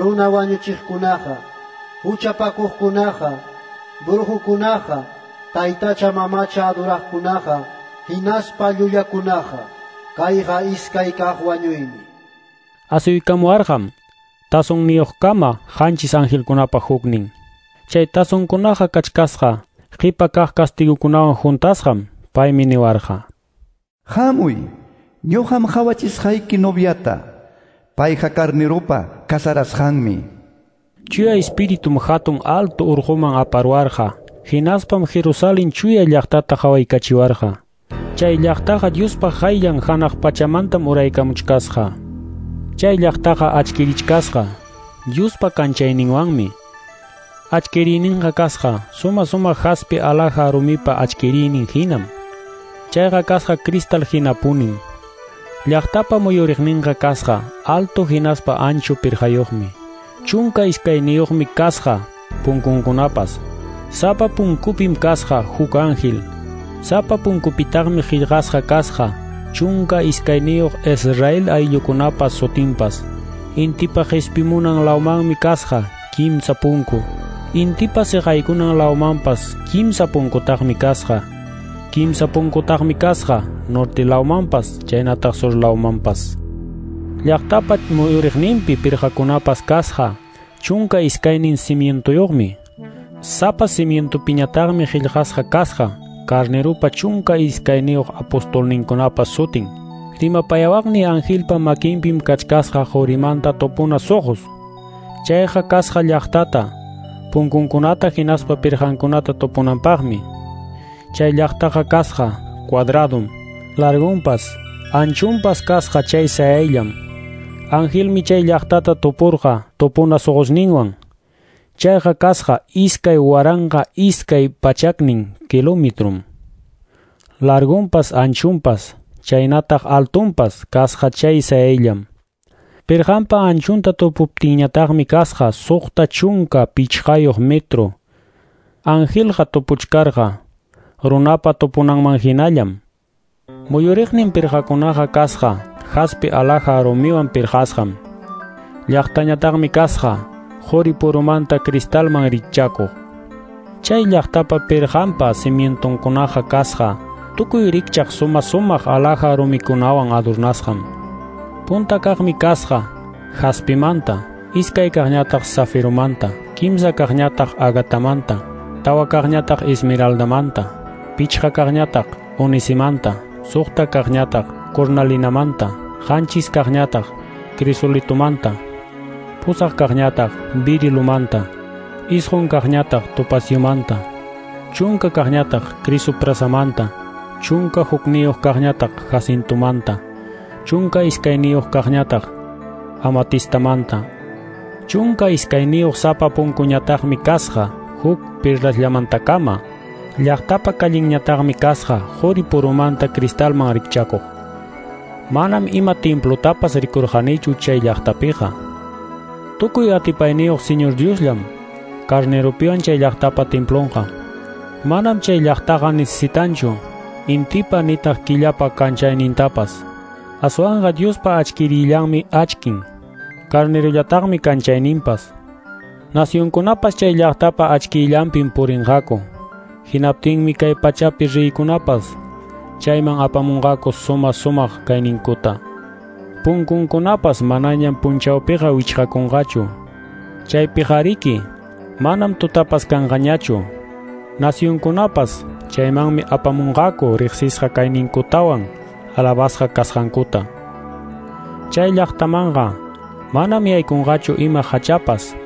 runa wañuchiqkunaqa, huchapakuqkunaqa, brujukunaqa, taytacha mamacha adoraqkunaqa, hinaspa llullakunaqa. Kayqa iskay kaq wañuymi.
Asuykamuwarqam tazonniyuqkama qanchis angelkunapa huknin. Chay tazonkunaqa kachkasqa qipa kaq kastigukunawan juntasqam. Paymi niwarqa:
Hamuy, ñuqam qawachisqayki noviata. Payqa carneropa casarasqanmi.
Chuya Espiritum hatun alto urquman aparuarqa. Hinaspam Jerusalén chuya llaqtata qawaykachiwarqa. Chay llaqtaqa Diospa qayllan hanaq pachamantam uraykamuchkasqa. Chay llaqtaqa achkirichkasqa Diospa kanchayninwanmi. Achkiriyninqa kasqa suma suma jaspe alhaja rumipa achkiriynin hinam. Chayqa kasqa cristal hinapunin. Llaqtapa muyuriqninqa kasqa alto hinaspa ancho pirqayuqmi. Chunka iskayniyuqmi kasqa punkunkunapas. Sapa punkupim kasqa huk ángel. Sapa punkupitaqmi qillqasqa kasqa chunka iskayniyuq Israel ayllukunapas sutinpas. Intipa qispimunan lawmanmi kasqa kimsa punku. Intipa siqaykunan lawmanpas kimsa punkutaqmi kasqa. Kimsa punkutaqmi kasqa norte lawmanpas chaynataq sur lawmanpas. Llaqtapa muyuriqninpi pirqakunapas kasqa chunka iskaynin cimientoyuqmi. Sapa cimientopiñataqmi qillqasqa kasqa carneropa chunka iskayniyuq apostolninkunapa sutin. Rimapayawaqni angelpa makinpim kachkasqa qurimanta tupuna suqus. Chayqa kasqa llaqtata, punkunkunata hinaspa pirqankunata tupunanpaqmi. Chay llaqtaqa kasqa cuadradum, largunpas, anchunpas kasqa chay sayayllam. Angelmi chay llaqtata tupurqa tupuna suqusninwan. Chayqa kasqa iskay waranqa iskay pachaknin kilometrum. Largunpas anchunpas, chaynataq altunpas kasqa chay sayayllam. Pirqanpa anchunta tupuptinñataqmi kasqa suqta chunka pichqayuq metro. Angelqa tupuchkarqa runapa tupunanman hinallam. Muyuriqnin pirqakunaqa kasqa jaspe alhaja rumiwan pirqasqam. Llaqtañataqmi kasqa quri purumanta cristalman rikchakuq. Chay llaqtapa pirqanpa cimientonkunaqa kasqa tukuy rikchaq suma sumaq alhaja rumikunawan adornasqam. Punta kaqmi kasqa jaspimanta, iskay kaqñataq zafiromanta, kimsa kaqñataq agatamanta, tawa kaqñataq esmeraldamanta, pichqa kaqñataq onisimanta, suqta kaqñataq cornalinamanta, qanchis kaqñataq crisolitomanta, pusaq kaqñataq birilumanta, isqun kaqñataq topaciomanta, chunka kaqñataq crisoprasamanta, chunka hukniyuq kaqñataq jacintomanta, chunka iskayniyuq kaqñataq amatistamanta. Chunka iskayniyuq sapa punkuñataqmi kasqa huk perlasllamantakama. Llaqtapa kallinñataqmi kasqa quri purumanta cristalman rikchakuq. Manam ima templotapas rikurqanichu chay llaqtapiqa. Tukuy atipayniyuq Señor Diosllam carneropiwan chay llaqtapa templonqa. Manam chay llaqtaqa necesitanchu intipa nitaq killapa kanchaynintapas. Aswanqa Diospa achkirillanmi achkin, carnerollataqmi kanchayninpas. Nacionkunapas chay llaqtapa achkillanpim purinqaku. Hinaptinmi kay pachapi riykunapas chayman apamunqaku suma sumaq kayninkuta. Punkunkunapas manañam punchawpiqa wichqakunqachu. Chaypiqariki manam tutapas kanqañachu. Nacionkunapas chaymanmi apamunqaku riqsisqa kayninkutawan alabasqa kasqankuta. Chay llaqtamanqa manam yaykunqachu ima hachapas,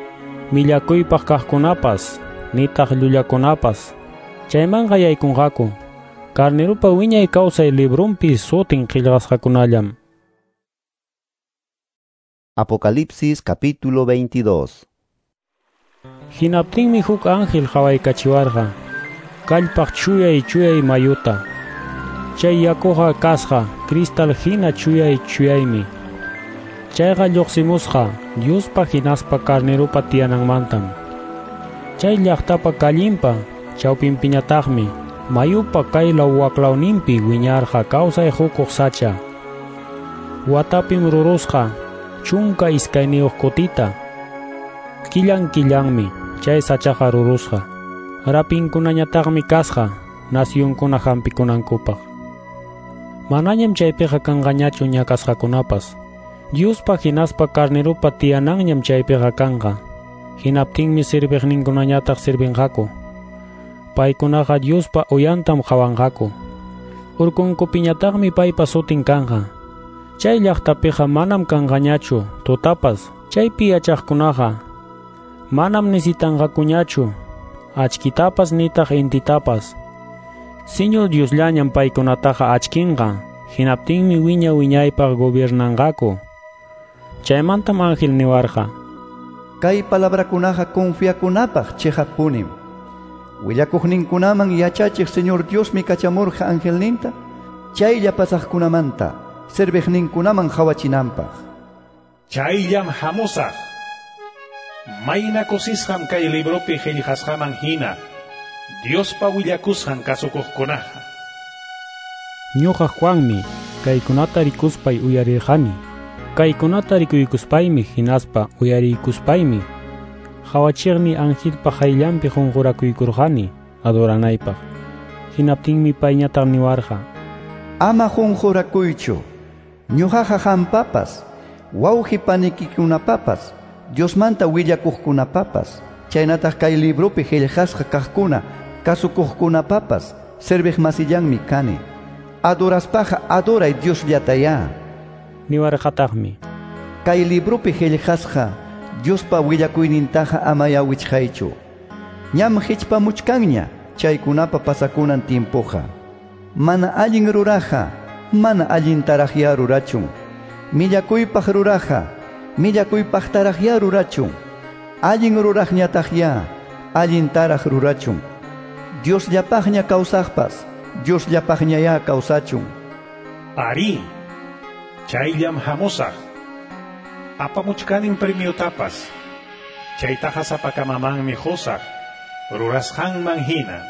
millakuypaq kaqkunapas, nitaq llullakunapas. Chaymanqa yaykunqaku Carnerupa wiñay kawsay librunpi sutin qillqasqakunallam.
Apocalipsis capítulo veintidós.
Hinaptinmi huk ángel qhawaykachiwarqa kallpaq chuyay chuyay mayuta. Chay yakuqa kasqa cristal hina chuyay chuyaymi. Chayqa lluqsimusqa Diospa hinaspa Carnerupa tiyananmantam. Chay llaqtapa kallinpa chawpinpiñataqmi mayupa kaylaw waklawninpi wiñarqa kawsay hukuq sacha. Watapim rurusqa chunka iskayniyuq kutita. Killan killanmi chay sachaqa rurusqa. Rapinkunañataqmi kasqa nacionkuna hampikunankupaq. Manañam chaypiqa kanqañachu ñakasqakunapas. Diospa hinaspa Carnerupa tiyananñam chaypiqa kanqa. Hinaptinmi serviqninkunañataq servinqaku. Paykunaqa Diospa uyantam qhawanqaku. Urkunkupiñataqmi paypa sutin kanqa. Chay llaqtapiqa manam kanqañachu tutapas. Chaypi yachaqkunaqa manam nisitanqakuñachu achkitapas nitaq intitapas. Señor Diosllañam paykunataqa achkinqa. Hinaptinmi wiña wiñaypaq gobiernanqaku. Chaymantam ángel niwarqa:
Kay palabrakunaqa confiakunapaq chiqappunim. Willakuqninkunaman yachachiq Señor Diosmi kachamurqa angelninta chaylla pasaqkunamanta serviqninkunaman qhawachinanpaq.
Chayllam hamusaq. Mayna kusisqam kay libropi qillqasqaman hina Diospa willakusqan kasukuqkunaqa.
Ñuqa Juanmi kaykunata rikuspay uyarirqani. Kaykunata rikuykuspaymi hinaspa uyariykuspaymi qawachiqni angelpa qayllanpi qunqurakuykurqani adoranaypaq. Hinaptinmi payñataq niwarqa:
Ama qunqurakuychu. Ñuqaqa qampapas, wawqi panikikunapapas, Diosmanta willakuqkunapapas, chaynataq kay libropi qillqasqa kaqkuna kasukuqkunapapas serviq masillanmi kani. Adoraspaqa adoray Diosllatayá.
Niwarqataqmi:
Kay libropi qillqasqa Diospa willakuynintaqa amaya wichqaychu. Ñam hichpamuchkanña chaykunapa pasakunan tiempoqa. Mana allin ruraqa, mana allintaraqya rurachun. Millakuypaq ruraqa, millakuypaqtaraqya rurachun. Allin ruraqñataqya, allintaraq rurachun. Diosllapaqña kawsaqpas, Diosllapaqñaya kawsachun.
Ari, chayllam hamusaq. Apamuchkanin premiotapas. Chaytaqa sapakamamanmi qusaq, rurasqanman hina.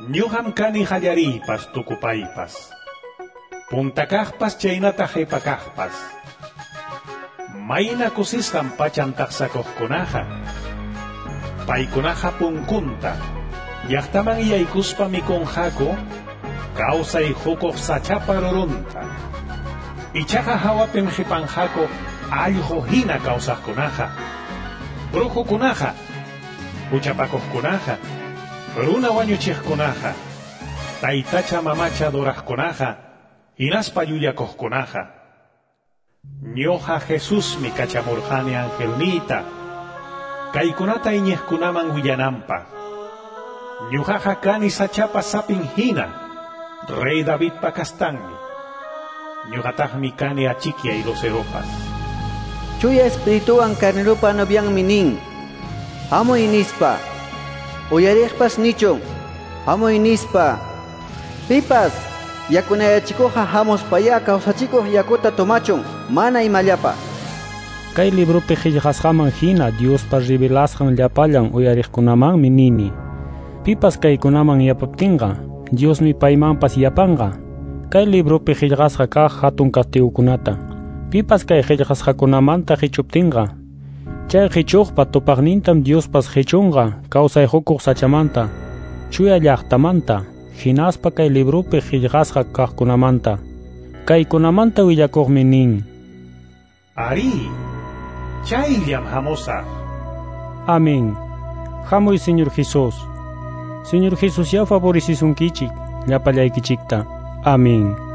Ñuqam kani qallariypas tukupaypas. Puntakaqpas chaynataq qhipakaqpas. Mayna kusisqam pachan taqsakuqkunaqa. Paykunaqa punkunta llaqtaman yaykuspa mikunqaku kawsay hukuq sachapa rurunta. Ichaqa hawapim qipanqaku allqu hina kawsaqkunaqa, brujukunaqa, huchapakuqkunaqa, runa wañuchiqkunaqa, taytacha mamacha adoraqkunaqa, hinaspa llullakuqkunaqa. Ñuqa Jesusmi kachamurqani angelniyta kaykunata iñiqkunaman willananpaq. Ñuqaqa kani sachapa sapin hina, rey Davidpa kastanmi. Ñuqataqmi kani achikyay luceropas.
Chuya espirituwan Carnerupa novianmi nin: Hamuy nispa. Uyariqpas nichun: Hamuy nispa. Pipas yakunayachikuqqa hamuspaya kawsachikuq yakuta tomachun mana imallapa.
Kay libropi qillqasqaman hina Diospa revelasqan llapallan uyariqkunamanmi nini: Pipas kaykunaman yapaptinqa, Diosmi paymanpas yapanqa. Kay libropi qillqasqa kaq hatun kastigukunata. Pipas kay qillqasqakunamanta qichuptinqa, chay qichuqpa tupaqnintam Diospas qichunqa kawsay hukuq sachamanta, chuya llaqtamanta, hinaspa kay libropi qillqasqa kaqkunamanta. Kaykunamanta willakuqmi nin:
Ari, chayllam hamusaq.
Amén. Hamuy Señor Jesús. Señor Jesús ya favorecisunkichik llapallaykichikta. Amén.